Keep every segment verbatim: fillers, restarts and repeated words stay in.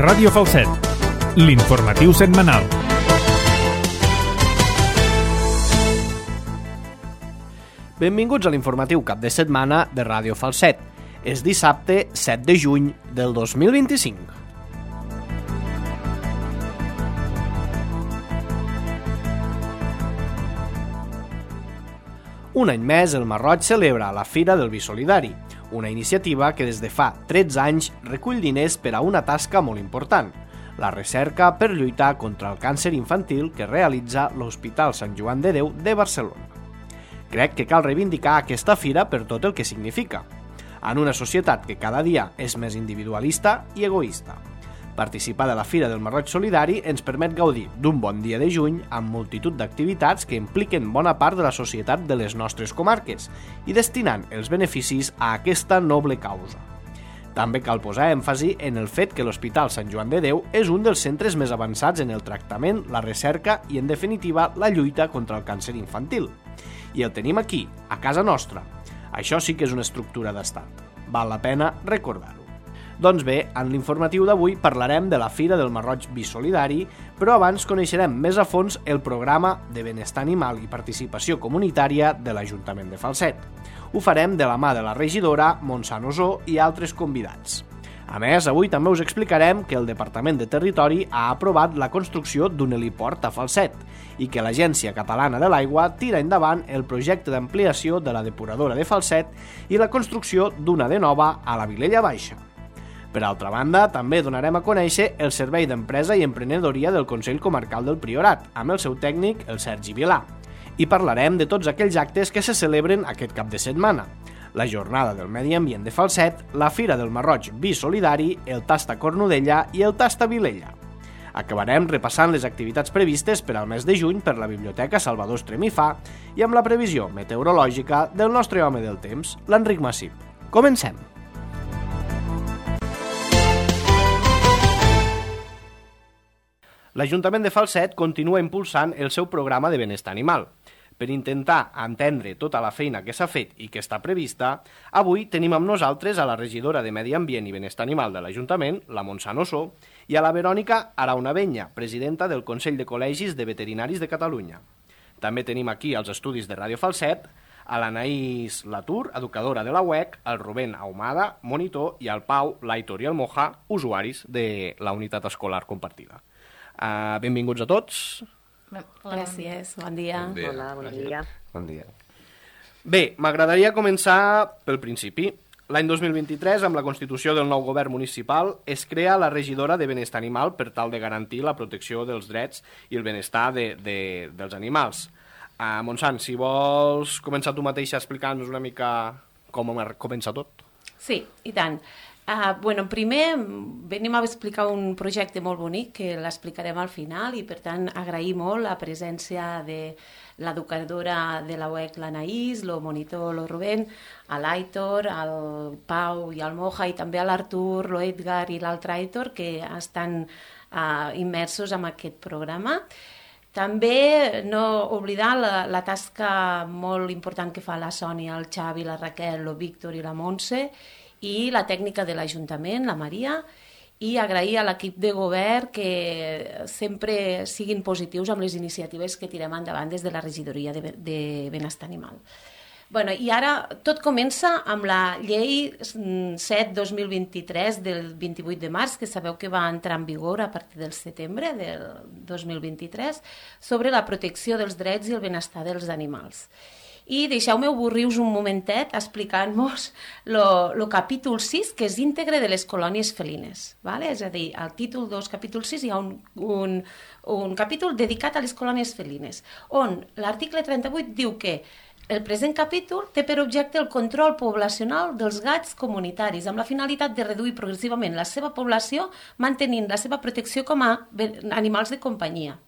Ràdio Falset, l'informatiu setmanal. Benvinguts a l'informatiu cap de setmana de Ràdio Falset. És dissabte set de juny del dos mil vint-i-cinc. Un any més, el Masroig celebra la Fira del Vi Solidari, una iniciativa que des de fa tretze anys recull diners per a una tasca molt important, la recerca per lluitar contra el càncer infantil que realitza l'Hospital Sant Joan de Déu de Barcelona. Crec que cal reivindicar aquesta fira per tot el que significa, en una societat que cada dia és més individualista i egoista. Participar de la Fira del Masroig Solidari ens permet gaudir d'un bon dia de juny amb multitud d'activitats que impliquen bona part de la societat de les nostres comarques i destinant els beneficis a aquesta noble causa. També cal posar èmfasi en el fet que l'Hospital Sant Joan de Déu és un dels centres més avançats en el tractament, la recerca i, en definitiva, la lluita contra el càncer infantil. I el tenim aquí, a casa nostra. Això sí que és una estructura d'estat. Val la pena recordar-ho. Doncs bé, en l'informatiu d'avui parlarem de la Fira del Masroig Vi Solidari, però abans coneixerem més a fons el programa de benestar animal i participació comunitària de l'Ajuntament de Falset. Ho farem de la mà de la regidora Montse Nosó i altres convidats. A més, avui també us explicarem que el Departament de Territori ha aprovat la construcció d'un heliport a Falset i que l'Agència Catalana de l'Aigua tira endavant el projecte d'ampliació de la depuradora de Falset i la construcció d'una de nova a la Vilella Baixa. Per altra banda, també donarem a conèixer el Servei d'Empresa i Emprenedoria del Consell Comarcal del Priorat, amb el seu tècnic, el Sergi Vilà. I parlarem de tots aquells actes que se celebren aquest cap de setmana. La Jornada del Medi Ambient de Falset, la Fira del Masroig Vi Solidari, el Tasta Cornudella i el Tasta Vilella. Acabarem repassant les activitats previstes per al mes de juny per la Biblioteca Salvador Estremifà i amb la previsió meteorològica del nostre home del temps, l'Enric Massip. Comencem! L'Ajuntament de Falset continua impulsant el seu programa de benestar animal. Per intentar entendre tota la feina que s'ha fet i que està prevista, avui tenim amb nosaltres a la regidora de Medi Ambient i Benestar Animal de l'Ajuntament, la Montse Nosó, i a la Verònica Araunavenya, presidenta del Consell de Col·legis de Veterinaris de Catalunya. També tenim aquí als estudis de Ràdio Falset a l'Anaïs Latour, educadora de la U E C, el Rubén Ahumada, monitor, i el Pau, l'Aitor i el Moja, usuaris de la unitat escolar compartida. Uh, benvinguts a tots. Gràcies, bon dia. Bon dia. Hola, bon dia. Bon dia. Bé, m'agradaria començar pel principi. L'any dos mil vint-i-tres, amb la constitució del nou govern municipal, es crea la regidora de benestar animal per tal de garantir la protecció dels drets i el benestar de, de, dels animals. Uh, Montsant, si vols començar tu mateixa explicant-nos una mica com comença tot. Sí, i tant. Uh, bueno, primer venim a explicar un projecte molt bonic que l'explicarem al final i per tant agrair molt la presència de l'educadora de la U E C, l'Anaïs, el monitor, el Rubén, a l'Aitor, al Pau i al Moja i també a l'Artur, l'Edgar i l'altre Aitor que estan uh, immersos en aquest programa. També no oblidar la, la tasca molt important que fa la Sònia, el Xavi, la Raquel, el Víctor i la Montse i la tècnica de l'Ajuntament, la Maria, i agrair a l'equip de govern que sempre siguin positius amb les iniciatives que tirem endavant des de la regidoria de, de benestar animal. Bueno, i ara tot comença amb la llei set dos mil vint-i-tres del vint-i-vuit de març, que sabeu que va entrar en vigor a partir del setembre del dos mil vint-i-tres, sobre la protecció dels drets i el benestar dels animals. I deixeu-me avorrir-vos un momentet explicant-vos el capítol sis, que és íntegre de les colònies felines. Vale? És a dir, al títol dos, capítol sis, hi ha un, un, un capítol dedicat a les colònies felines, on l'article trenta-vuit diu que el present capítol té per objecte el control poblacional dels gats comunitaris, amb la finalitat de reduir progressivament la seva població, mantenint la seva protecció com a animals de companyia.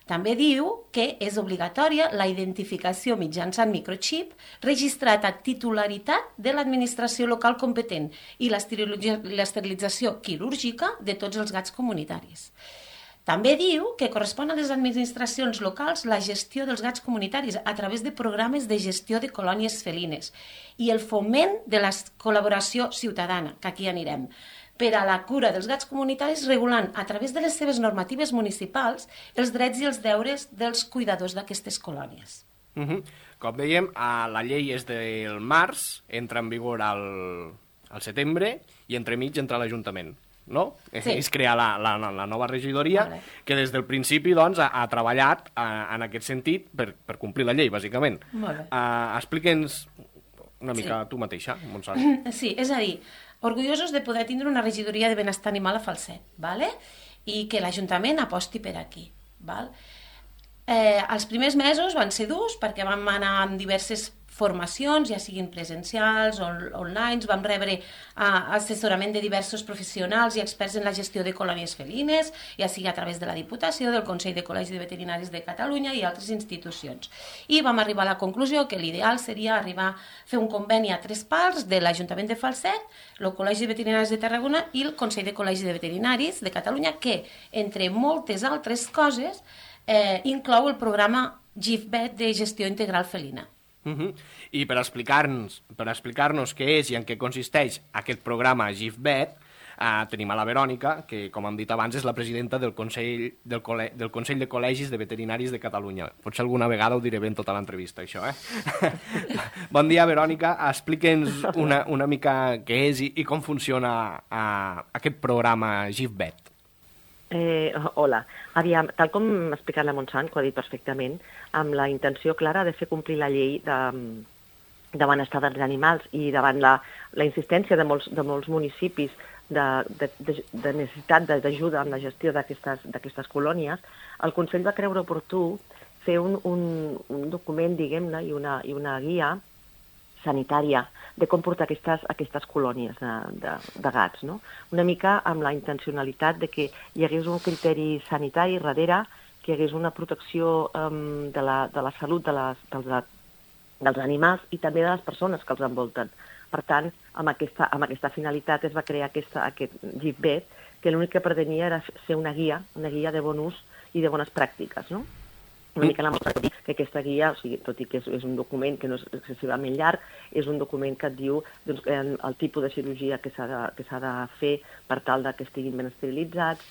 També diu que és obligatòria la identificació mitjançant microxip registrat a titularitat de l'administració local competent i l'esterilització quirúrgica de tots els gats comunitaris. També diu que correspon a les administracions locals la gestió dels gats comunitaris a través de programes de gestió de colònies felines i el foment de la col·laboració ciutadana, que aquí anirem. per a la cura dels gats comunitaris, regulant a través de les seves normatives municipals els drets i els deures dels cuidadors d'aquestes colònies. Uh -huh. Com dèiem, la llei és del març, entra en vigor al, al setembre i entremig entra l'Ajuntament, no? Sí. És crear la, la, la nova regidoria, vale. que des del principi doncs, ha, ha treballat a, en aquest sentit per, per complir la llei, bàsicament. Molt bé. Uh, Explica'ns una mica Sí. tu mateixa, Montserrat. Sí, és a dir, orgullosos de poder tindre una regidoria de benestar animal a Falset, ¿vale? I que l'Ajuntament aposti per aquí. Val? Eh, els primers mesos van ser durs perquè vam anar amb diverses formacions, ja siguin presencials o online, vam rebre uh, assessorament de diversos professionals i experts en la gestió de colònies felines, ja sigui a través de la Diputació, del Consell de Col·legis de Veterinaris de Catalunya i altres institucions. I vam arribar a la conclusió que l'ideal seria arribar a fer un conveni a tres parts de l'Ajuntament de Falset, el Col·legi de Veterinaris de Tarragona i el Consell de Col·legis de Veterinaris de Catalunya, que, entre moltes altres coses, eh, inclou el programa GIFVET de gestió integral felina. Uh -huh. I per explicar-nos per explicar-nos què és i en què consisteix aquest programa GIFVET, eh, tenim a la Verònica, que, com hem dit abans, és la presidenta del Consell, del, Col·le del Consell de Col·legis de Veterinaris de Catalunya. Potser alguna vegada ho diré bé en tota l'entrevista, això, eh? Bon dia, Verònica. Explica'ns una, una mica què és i, i com funciona eh, aquest programa GIFVET. Eh, hola. Aviam, tal com ha explicat la Montsant, que ho ha dit perfectament, amb la intenció clara de fer complir la llei de, de benestar dels animals i davant la, la insistència de molts, de molts municipis de, de, de, de necessitat d'ajuda en la gestió d'aquestes colònies, el Consell va creure oportú fer un, un, un document, diguem-ne, i una, i una guia sanitària de com portar aquestes, aquestes colònies de, de, de gats, no? Una mica amb la intencionalitat de que hi hagués un criteri sanitari darrere, que hi hagués una protecció um, de, la, de la salut de les, dels, dels animals i també de les persones que els envolten. Per tant, amb aquesta, amb aquesta finalitat es va crear aquesta, aquest GIFVET, que l'únic que pretenia era ser una guia, una guia de bon ús i de bones pràctiques, no? Una mica la mostra que aquesta guia, o sigui, tot i que és, és un document que no és excessivament llarg, és un document que et diu doncs, el tipus de cirurgia que s'ha de, que s'ha de fer per tal de que estiguin ben esterilitzats,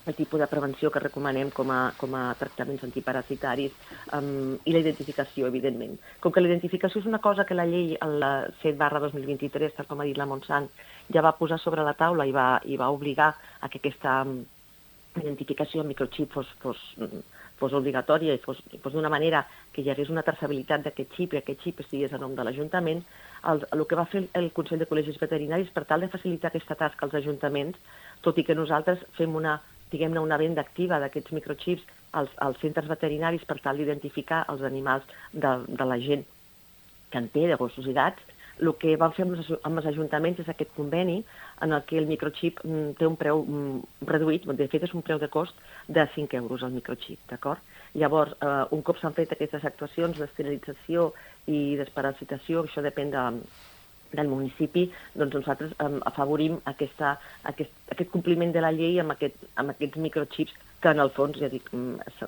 el tipus de prevenció que recomanem com a, com a tractaments antiparasitaris um, i la identificació, evidentment. Com que la identificació és una cosa que la llei, el set barra dos mil vint-i-tres, tal com ha dit la Montsant, ja va posar sobre la taula i va, i va obligar a que aquesta um, identificació amb microxip fos, fos, fos obligatòria i fos, fos d'una manera que hi hagués una traçabilitat d'aquest xip i aquest xip estigués a nom de l'Ajuntament, el, el que va fer el Consell de Col·legis Veterinaris per tal de facilitar aquesta tasca als ajuntaments, tot i que nosaltres fem una diguem-ne, una venda activa d'aquests microxips als, als centres veterinaris per tal d'identificar els animals de, de la gent que en té, de gossos i gats. El que vam fer amb els, amb els ajuntaments és aquest conveni en el que el microxip mm, té un preu mm, reduït, de fet és un preu de cost de cinc euros el microxip, d'acord? Llavors, eh, un cop s'han fet aquestes actuacions d'esterilització i desparasitació, això depèn de del municipi, doncs nosaltres um, afavorim aquesta, aquest, aquest compliment de la llei amb, aquest, amb aquests microxips que en el fons, ja dic,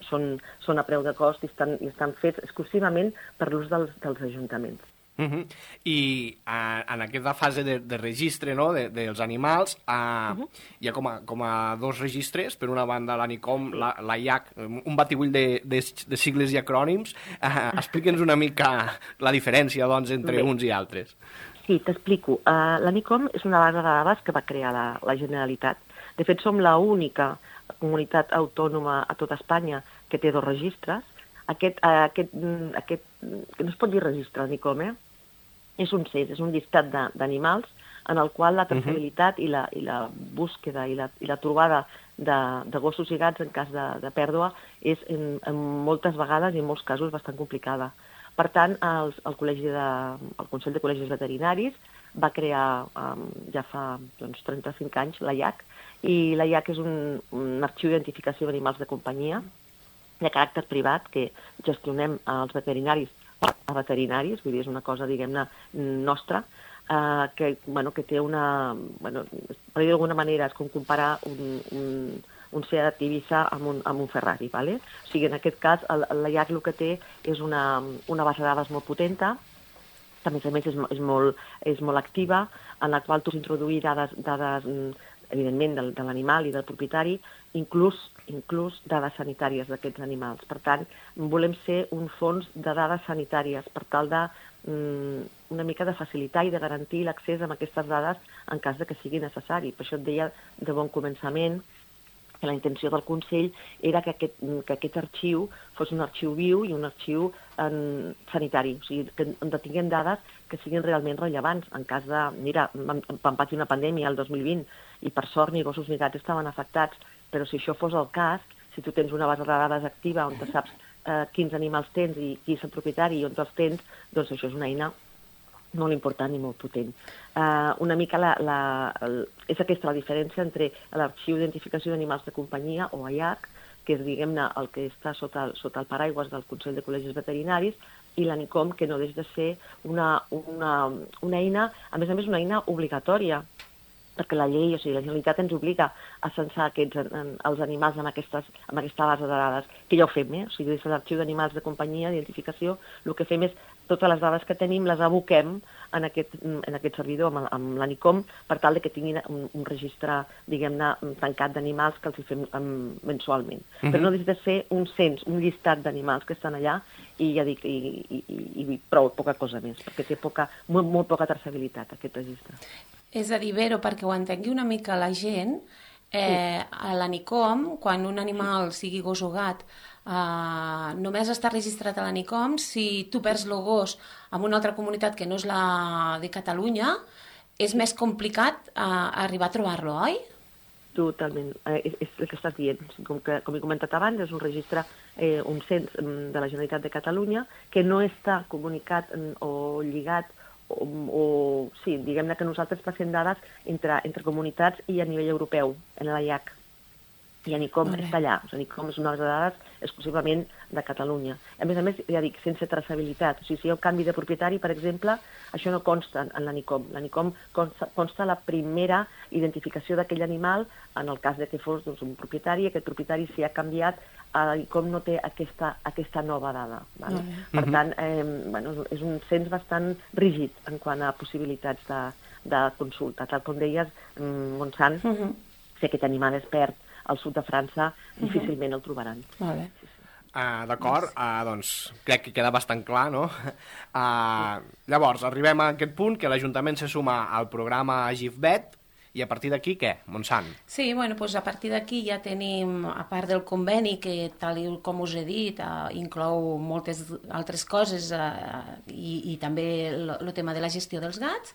són, són a preu de cost i estan, i estan fets exclusivament per l'ús dels, dels ajuntaments. Uh -huh. I uh, en aquesta fase de, de registre, no?, de, dels animals uh, uh -huh. hi ha com a, com a dos registres, per una banda l'ANICOM, la, la I A C, un batibull de, de, de sigles i acrònims. Uh, Explica'ns una mica la diferència, doncs, entre Bé. uns i altres. Sí, t'explico. Uh, L'ANICOM és una base de dades que va crear la, la Generalitat. De fet, som l'única comunitat autònoma a tota Espanya que té dos registres. Aquest, uh, aquest, aquest que no es pot dir registre, l'ANICOM, eh? És un C E S, és un llistat d'animals en el qual la traçabilitat uh -huh. i, la, i la búsqueda i la, i la trobada de, de gossos i gats en cas de, de pèrdua és en, en moltes vegades i en molts casos bastant complicada. Per tant, el, el, col·legi de, el Consell de Col·legis Veterinaris va crear um, ja fa doncs, trenta-cinc anys la I A C, i la I A C és un, un arxiu d'identificació d'animals de companyia de caràcter privat que gestionem als veterinaris a veterinaris, vull dir, és una cosa, diguem-ne, nostra, eh, que, bueno, que té una... Bueno, per dir d'alguna manera, és com comparar un... un un Seat Ibiza amb un, amb un Ferrari, ¿vale? O sigui, en aquest cas, el, la I A C el que té és una, una base de dades molt potenta que a més a més és, és, molt, és molt activa, en la qual tu has introduir dades, dades evidentment, de, de l'animal i del propietari, inclús, inclús dades sanitàries d'aquests animals. Per tant, volem ser un fons de dades sanitàries per tal de mm, una mica de facilitar i de garantir l'accés a aquestes dades en cas de que sigui necessari. Per això et deia de bon començament que la intenció del Consell era que aquest, que aquest arxiu fos un arxiu viu i un arxiu en, sanitari, o sigui, que, on tinguem dades que siguin realment rellevants. En cas de, mira, vam, vam patir una pandèmia el dos mil vint i per sort ni gossos ni gats estaven afectats, però si això fos el cas, si tu tens una base de dades activa on te saps eh, quins animals tens i qui és el propietari i on els tens, doncs això és una eina molt important i molt potent. Uh, una mica la, la, el, és aquesta la diferència entre l'arxiu d'identificació d'animals de companyia, o A I A C, que és, diguem-ne, el que està sota el, sota el paraigües del Consell de Col·legis Veterinaris, i l'ANICOM, que no deixa de ser una, una, una eina, a més a més una eina obligatòria, perquè la llei, o sigui, la Generalitat ens obliga a censar aquests, en, els animals en, aquestes, en aquesta base de dades, que ja ho fem, eh? O sigui, des de l'arxiu d'animals de companyia, d'identificació, el que fem és totes les dades que tenim les aboquem en aquest, en aquest servidor, amb, amb l'ANICOM, per tal de que tinguin un, un registre, diguem-ne, tancat d'animals que els hi fem um, mensualment. Uh-huh. Però no deixa de ser un cens, un llistat d'animals que estan allà, i ja dic, i, i, i, i prou, poca cosa més, perquè té poca, molt, molt poca traçabilitat, aquest registre. És a dir, Vero, perquè ho entengui una mica la gent, eh, a l'ANICOM, quan un animal, sigui gos o gat, eh, només està registrat a l'ANICOM si tu perds el gos en una altra comunitat que no és la de Catalunya, és més complicat eh, arribar a trobar-lo, oi? Totalment, eh, és, és el que estàs dient. Com, que, com he comentat abans, és un registre, eh, un cens de la Generalitat de Catalunya, que no està comunicat o lligat, o, o sí, diguem-ne que nosaltres passem dades entre, entre comunitats i a nivell europeu, en l'A I A C. I ANICOM està allà. O sigui, ANICOM és una base de dades exclusivament de Catalunya. A més a més, ja dic, sense traçabilitat. O sigui, si hi ha un canvi de propietari, per exemple, això no consta en l'ANICOM. L'ANICOM consta, consta la primera identificació d'aquell animal en el cas de que fos doncs, un propietari, i aquest propietari, si ha canviat, l'ANICOM no té aquesta, aquesta nova dada. Vale? Mm-hmm. Per tant, eh, bueno, és un cens bastant rígid en quant a possibilitats de, de consulta. Tal com deies, Montsant, mm-hmm. si aquest animal es perd al sud de França, difícilment el trobaran. Vale. Uh, D'acord, uh, doncs crec que queda bastant clar, no? Uh, llavors, arribem a aquest punt que l'Ajuntament se suma al programa GIFVET, i a partir d'aquí, què? Montsant? Sí, bueno, doncs a partir d'aquí ja tenim, a part del conveni, que tal com us he dit, eh, inclou moltes altres coses eh, i, i també el tema de la gestió dels gats,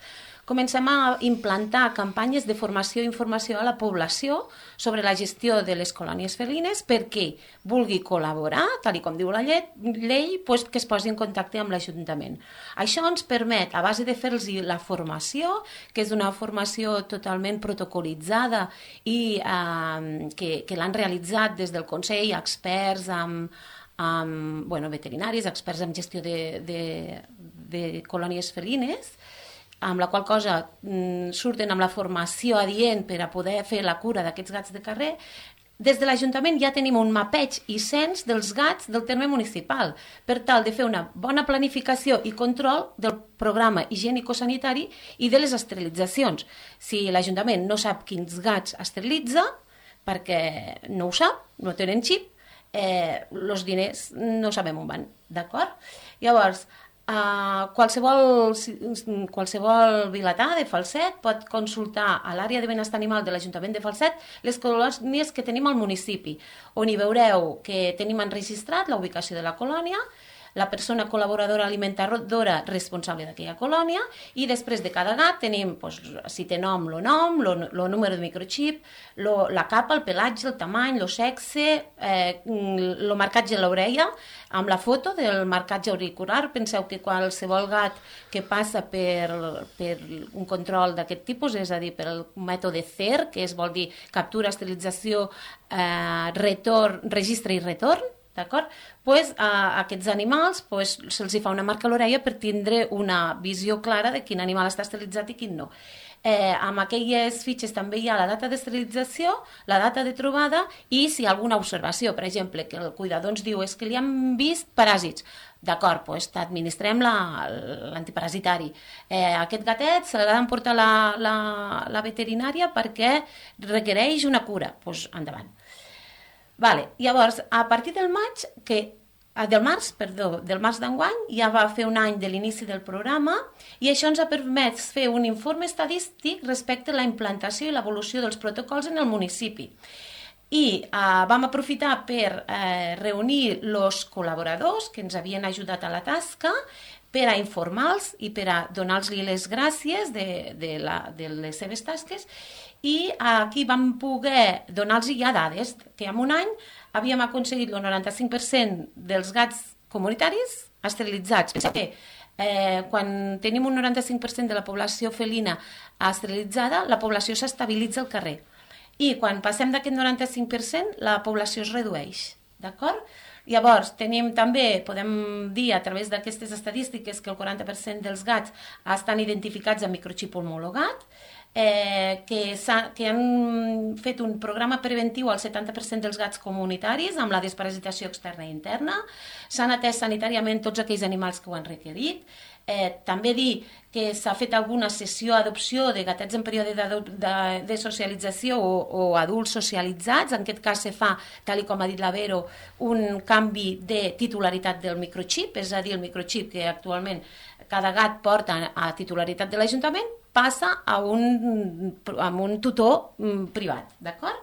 comencem a implantar campanyes de formació i informació a la població sobre la gestió de les colònies felines perquè vulgui col·laborar, tal com diu la llei, llei pues, que es posi en contacte amb l'Ajuntament. Això ens permet, a base de fer-los la formació, que és una formació totalment protocolitzada i eh, que, que l'han realitzat des del Consell, experts amb, amb bueno, veterinaris, experts en gestió de, de, de colònies felines, amb la qual cosa mm, surten amb la formació adient per a poder fer la cura d'aquests gats de carrer. Des de l'Ajuntament ja tenim un mapeig i cens dels gats del terme municipal, per tal de fer una bona planificació i control del programa higiènico-sanitari i de les esterilitzacions. Si l'Ajuntament no sap quins gats esterilitza, perquè no ho sap, no tenen xip, eh, els diners no sabem on van, d'acord? Llavors, Uh, qualsevol, qualsevol vilatà de Falset pot consultar a l'àrea de benestar animal de l'Ajuntament de Falset les colònies que tenim al municipi, on hi veureu que tenim enregistrat la ubicació de la colònia, la persona col·laboradora alimentadora responsable d'aquella colònia, i després de cada gat tenim, doncs, si té nom, el nom, el número de microxip, lo, la capa, el pelatge, el tamany, el sexe, eh, el marcatge a l'orella, amb la foto del marcatge auricular. Penseu que qualsevol gat que passa per, per un control d'aquest tipus, és a dir, per el mètode C E R, que es vol dir captura, esterilització, eh, retorn, registre i retorn, d'acord? Pues, a aquests animals pues, se'ls fa una marca a l'orella per tindre una visió clara de quin animal està esterilitzat i quin no. Eh, amb aquelles fitxes també hi ha la data d'esterilització, la data de trobada i si hi ha alguna observació, per exemple, que el cuidador ens diu és que li han vist paràsits. D'acord, doncs t'administrem l'antiparasitari. Eh, aquest gatet se l'ha d'emportar la, la, la veterinària perquè requereix una cura. Doncs endavant. Vale. Llavors, a partir del maig, que del març, perdó, del març d'enguany, ja va fer un any de l'inici del programa i això ens ha permès fer un informe estadístic respecte a la implantació i l'evolució dels protocols en el municipi. I eh, vam aprofitar per eh, reunir els col·laboradors que ens havien ajudat a la tasca per a informar-los i per a donar-los les gràcies de, de, la, de les seves tasques i aquí vam poder donar-los ja dades, que en un any havíem aconseguit el noranta-cinc per cent dels gats comunitaris esterilitzats. Penseu que eh, quan tenim un noranta-cinc per cent de la població felina esterilitzada, la població s'estabilitza al carrer. I quan passem d'aquest noranta-cinc per cent, la població es redueix, d'acord? Llavors, tenim també, podem dir a través d'aquestes estadístiques que el quaranta per cent dels gats estan identificats amb microxip homologat, eh, que, que han fet un programa preventiu al setanta per cent dels gats comunitaris amb la desparasitació externa i interna, s'han atès sanitàriament tots aquells animals que ho han requerit. Eh, també dir que s'ha fet alguna sessió d'adopció de gatets en període de, de, de socialització o, o adults socialitzats. En aquest cas se fa, tal com ha dit la Vero, un canvi de titularitat del microxip, és a dir, el microxip que actualment cada gat porta a titularitat de l'Ajuntament passa a un, a un tutor privat, d'acord?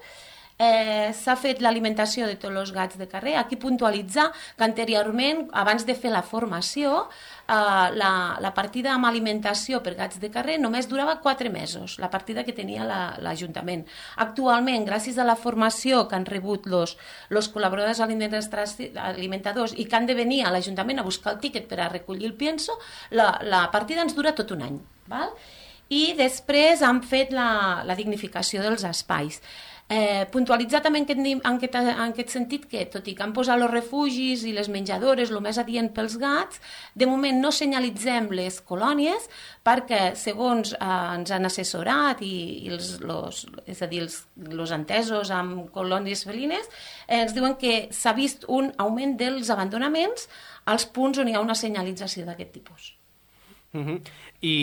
Eh, s'ha fet l'alimentació de tots els gats de carrer. Aquí puntualitzar que anteriorment, abans de fer la formació, eh, la, la partida amb alimentació per gats de carrer només durava quatre mesos, la partida que tenia l'Ajuntament. La, Actualment, gràcies a la formació que han rebut els col·laboradors alimentadors i que han de venir a l'Ajuntament a buscar el tíquet per a recollir el pienso, la, la partida ens dura tot un any. Val? I després han fet la, la dignificació dels espais. Eh, puntualitzar també en aquest, en, aquest, en aquest sentit que, tot i que han posat els refugis i les menjadores el més adient pels gats, de moment no senyalitzem les colònies perquè, segons eh, ens han assessorat i, i els, los, és a dir, els, els entesos amb colònies felines, eh, ens diuen que s'ha vist un augment dels abandonaments als punts on hi ha una senyalització d'aquest tipus. Uh-huh. I...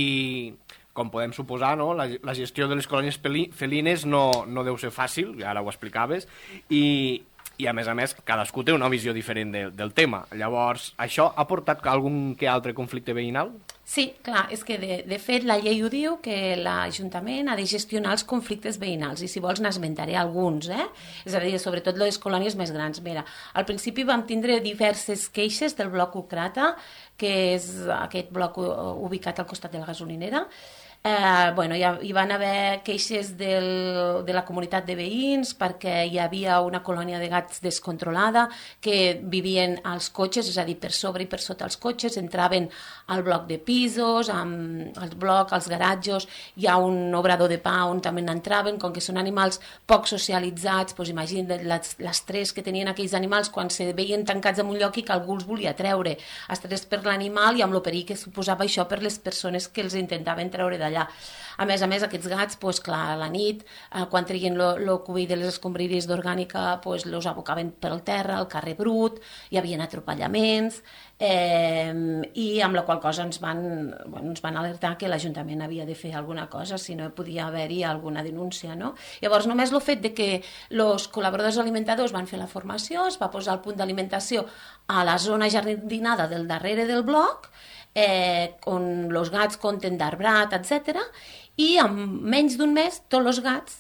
com podem suposar, no? la, la gestió de les colònies felines no, no deu ser fàcil, ara ho explicaves, i, i a més a més cadascú té una visió diferent de, del tema. Llavors, això ha portat algun que altre conflicte veïnal? Sí, clar, és que de, de fet la llei ho diu que l'Ajuntament ha de gestionar els conflictes veïnals i si vols n'esmentaré alguns, eh? És a dir, sobretot les colònies més grans. Mira, al principi vam tindre diverses queixes del bloc Ucrata, que és aquest bloc ubicat al costat de la gasolinera. Eh, bueno, hi, ha, hi van haver queixes del, de la comunitat de veïns perquè hi havia una colònia de gats descontrolada que vivien als cotxes, és a dir, per sobre i per sota els cotxes, entraven al bloc de pisos, amb el bloc, als garatges, hi ha un obrador de pa on també n'entraven, com que són animals poc socialitzats, doncs imagina't l'estrès que tenien aquells animals quan se veien tancats en un lloc i que algú els volia treure, estrès per l'animal i amb el perill que suposava això per les persones que els intentaven treure d'allà. A més a més, aquests gats, doncs, clar, a la nit, eh, quan treien el cubell de les escombraries d'orgànica, doncs, los abocaven pel terra, al carrer brut, hi havia atropellaments, eh, i amb la qual cosa ens van, bueno, ens van alertar que l'Ajuntament havia de fer alguna cosa, si no podia haver-hi alguna denúncia, no? Llavors, només el fet de que els col·laboradors alimentadors van fer la formació, es va posar el punt d'alimentació a la zona jardinada del darrere del bloc, Eh, on els gats compten d'arbrat, etcètera, i en menys d'un mes tots els gats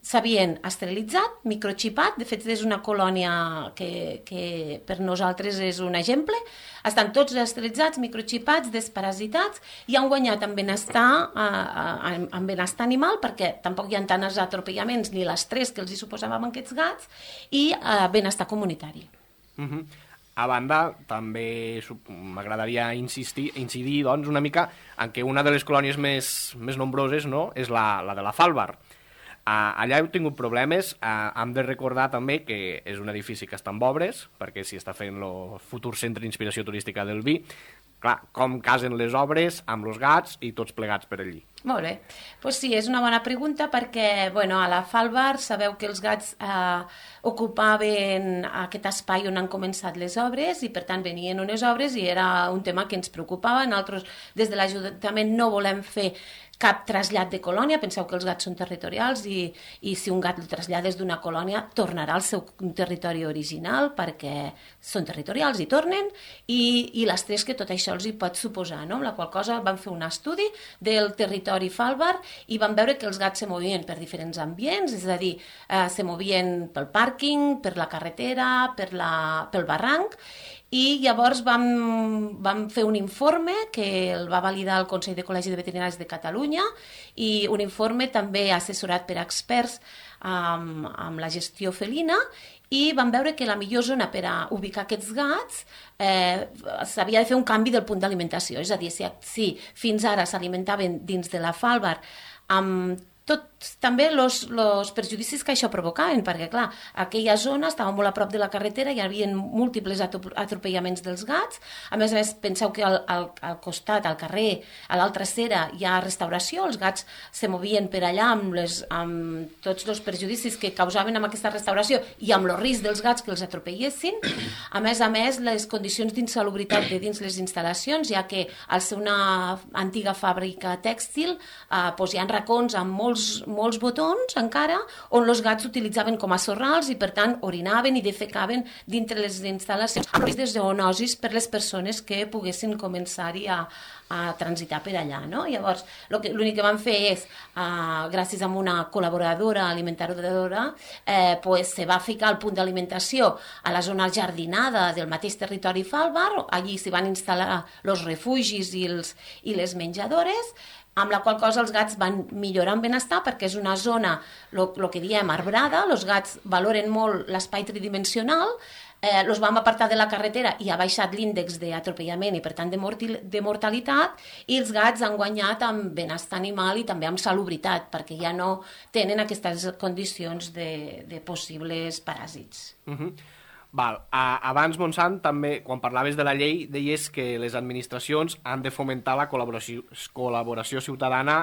s'havien esterilitzat, microxipat, de fet és una colònia que, que per nosaltres és un exemple, estan tots esterilitzats, microxipats, desparasitats i han guanyat en benestar, eh, en benestar animal perquè tampoc hi ha tants atropellaments ni l'estrès que els hi suposàvem aquests gats i eh, benestar comunitari. Uh-huh. A banda, també m'agradaria insistir, incidir doncs, una mica en que una de les colònies més, més nombroses, no?, és la, la de la Fàlbar. Uh, allà heu tingut problemes, uh, hem de recordar també que és un edifici que està en obres, perquè s'hi està fent el futur centre d'inspiració turística del vi. clar, com casen les obres amb els gats i tots plegats per allí. Molt bé. Pues sí, és una bona pregunta perquè bueno, a la Falbar sabeu que els gats eh, ocupaven aquest espai on han començat les obres i per tant venien unes obres i era un tema que ens preocupava. Nosaltres des de l'Ajuntament no volem fer cap trasllat de colònia, penseu que els gats són territorials i, i si un gat el trasllades d'una colònia tornarà al seu territori original perquè són territorials i tornen i, i l'estrès que tot això els hi pot suposar, no? Amb la qual cosa vam fer un estudi del territori Falbar i vam veure que els gats se movien per diferents ambients, és a dir, eh, se movien pel pàrquing, per la carretera, per la, pel barranc i llavors vam, vam fer un informe que el va validar el Consell de Col·legis de Veterinaris de Catalunya i un informe també assessorat per experts amb, amb la gestió felina i vam veure que la millor zona per a ubicar aquests gats eh, s'havia de fer un canvi del punt d'alimentació, és a dir, si, si fins ara s'alimentaven dins de la Falbar amb tots també els perjudicis que això provocaven, perquè clar, aquella zona estava molt a prop de la carretera, hi havia múltiples atropellaments dels gats, a més a més penseu que al, al, al costat, al carrer, a l'altra acera hi ha restauració, els gats se movien per allà amb, les, amb tots els perjudicis que causaven amb aquesta restauració i amb el risc dels gats que els atropellessin, a més a més les condicions d'insalubritat de dins les instal·lacions, ja que al ser una antiga fàbrica tèxtil eh, doncs hi ha racons amb molts Molts, molts botons encara on els gats utilitzaven com a sorrals i per tant orinaven i defecaven dintre les instal·lacions amb risc de zoonosis per les persones que poguessin començar-hi a, a transitar per allà, no? Llavors l'únic que vam fer és uh, gràcies a una col·laboradora alimentadora eh, pues, se va ficar el punt d'alimentació a la zona jardinada del mateix territori Falbar, allí s'hi van instal·lar els refugis i, els, i les menjadores amb la qual cosa els gats van millorar en benestar perquè és una zona, el que diem, arbrada, els gats valoren molt l'espai tridimensional, eh, els vam apartar de la carretera i ha baixat l'índex d'atropellament i per tant de, mortil, de mortalitat i els gats han guanyat amb benestar animal i també amb salubritat perquè ja no tenen aquestes condicions de, de possibles paràsits. Uh-huh. Val. A, abans, Montsant, també, quan parlaves de la llei, deies que les administracions han de fomentar la col·laboració, col·laboració ciutadana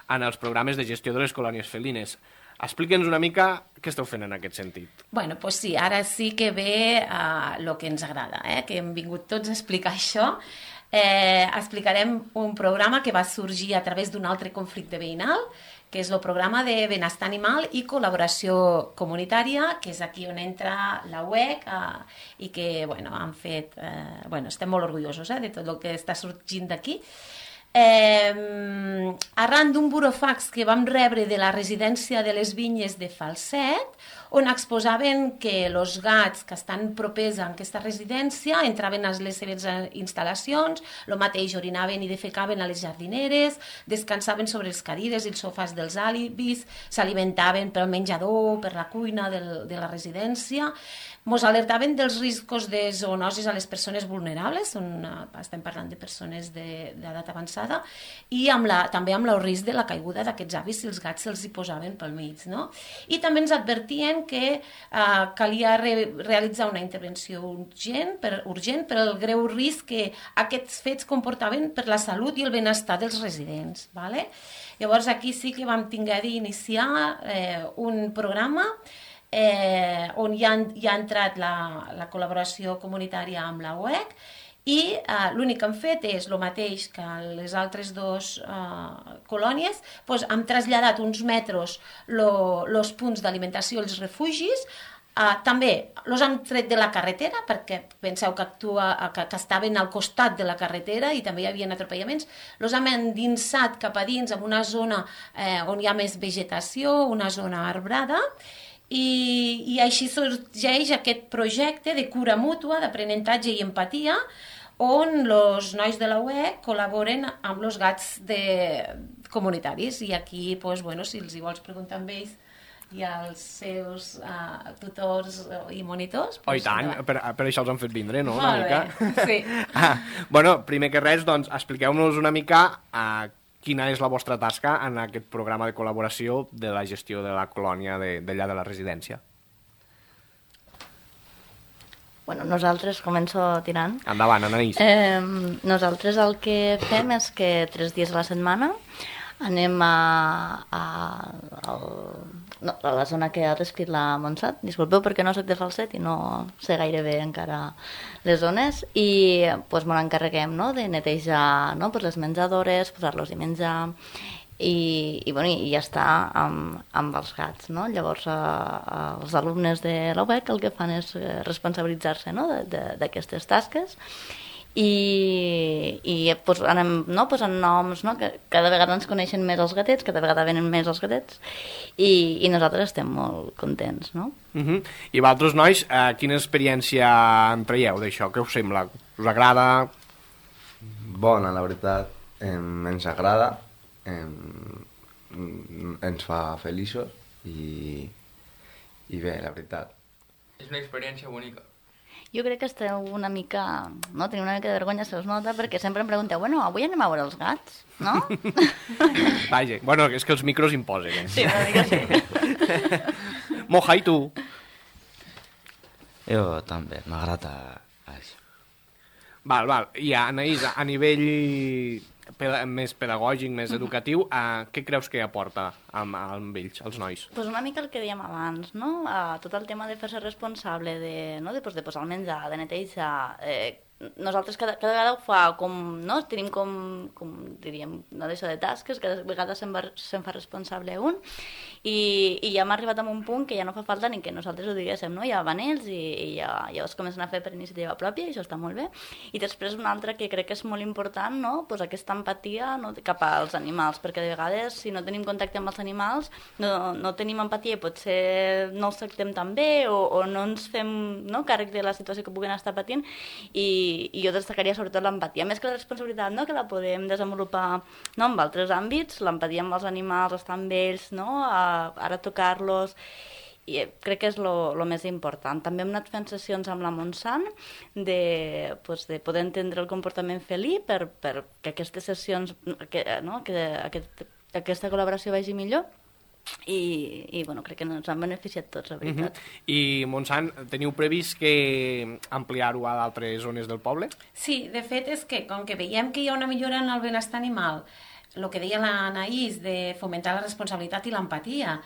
en els programes de gestió de les colònies felines. Explica'ns una mica què esteu fent en aquest sentit. Bueno, doncs sí, ara sí que ve el uh, que ens agrada, eh? Que hem vingut tots a explicar això. Eh, explicarem un programa que va sorgir a través d'un altre conflicte veïnal, que és el programa de benestar animal i col·laboració comunitària, que és aquí on entra la U E C eh, i que bueno, han fet, eh, bueno, estem molt orgullosos eh, de tot el que està sorgint d'aquí. Eh, arran d'un burofax que vam rebre de la residència de les Vinyes de Falset, on exposaven que els gats que estan propers a aquesta residència entraven a les seves instal·lacions, el mateix orinaven i defecaven a les jardineres, descansaven sobre els cadires i els sofàs dels àlibis, s'alimentaven pel menjador, per la cuina del, de la residència, ens alertaven dels riscos de zoonosis a les persones vulnerables, on estem parlant de persones d'edat avançada, i amb la, també amb el risc de la caiguda d'aquests avis si els gats se'ls hi posaven pel mig. No? I també ens advertien que eh, calia re, realitzar una intervenció urgent per, urgent per el greu risc que aquests fets comportaven per la salut i el benestar dels residents. Vale? Llavors aquí sí que vam tinguer d'iniciar eh, un programa Eh, on ja, ja ha entrat la, la col·laboració comunitària amb la U E C i eh, l'únic que hem fet és el mateix que les altres dues eh, colònies, doncs hem traslladat uns metres els punts d'alimentació als refugis, eh, també els hem tret de la carretera perquè penseu que, actua, que, que estaven al costat de la carretera i també hi havia atropellaments, els hem endinsat cap a dins en una zona eh, on hi ha més vegetació, una zona arbrada. I, i així sorgeix aquest projecte de cura mútua, d'aprenentatge i empatia, on els nois de la U E C col·laboren amb els gats de comunitaris. I aquí, doncs, bueno, si els hi vols preguntar amb ells i als seus uh, tutors i monitors... Oh, i tant, no. per, per això els han fet vindre, no? Molt una bé, mica. sí. Ah, bueno, primer que res, doncs, expliqueu-nos una mica uh, quina és la vostra tasca en aquest programa de col·laboració de la gestió de la colònia d'allà de, de la residència. Bueno, nosaltres, començo tirant. Endavant, Anaïs. Eh, nosaltres el que fem és que tres dies a la setmana anem a, a, a, no, a la zona que ha descrit la Montserrat. Disculpeu perquè no soc de Falset i no sé gaire bé encara les zones. I pues, ens encarreguem, no?, de netejar, no?, pues, les menjadores, posar-los i menjar, i, i, bueno, i ja està amb, amb els gats, no? Llavors eh, els alumnes de l'U B E C el que fan és responsabilitzar-se, no?, d'aquestes tasques i, i pues, anem no? posant noms, no? Que cada vegada ens coneixen més els gatets, cada vegada venen més els gatets i, i nosaltres estem molt contents, no? Uh-huh. I vosaltres, nois, eh, quina experiència en traieu d'això? Què us sembla? Us agrada? Bona, la veritat, eh, ens agrada, eh, ens fa feliços i, i bé, la veritat. És una experiència bonica. Jo crec que esteu una mica, no? Teniu una mica de vergonya, se us nota, perquè sempre em pregunteu, bueno, avui anem a veure els gats, no? Vaja, bueno, és que els micros imposen, eh? Sí, una mica sí. Moja, i tu? Jo també, m'agrada això. Val, val. I Anaïs, a nivell peda més pedagògic, més educatiu, eh, què creus que aporta amb, amb ells, els nois? Pues una mica el que dèiem abans, no? Uh, tot el tema de fer-se responsable de, no? de, pues, de posar el menjar, de netejar... Eh, nosaltres cada, cada vegada ho fa com, no? Tenim com, com diríem, no d'això de tasques, cada vegada se'n, va, se'n fa responsable un i, i ja hem arribat a un punt que ja no fa falta ni que nosaltres ho diguéssim, no? Ja van ells i, i ja, ja es comencen a fer per iniciativa pròpia i això està molt bé. I després una altra que crec que és molt important, no? Pues aquesta empatia, no? Cap als animals, perquè de vegades si no tenim contacte amb els animals no, no tenim empatia i potser no els tractem tan bé o, o no ens fem, no? Càrrec de la situació que puguen estar patint i i jo destacaria sobretot l'empatia, més que la responsabilitat, no? Que la podem desenvolupar, no? En altres àmbits, l'empatia amb els animals, estar amb ells, no? A, ara tocar-los, i crec que és el més important. També hem anat fent sessions amb la Montsant de, pues, de poder entendre el comportament felí per, per que aquestes sessions, que, no? que aquest, aquesta col·laboració vagi millor. I, i bueno, crec que ens han beneficiat tots, la veritat. Uh-huh. I, Montsant, teniu previst que ampliar-ho a d'altres zones del poble? Sí, de fet és que, com que veiem que hi ha una millora en el benestar animal, el que deia l'Anaïs de fomentar la responsabilitat i l'empatia,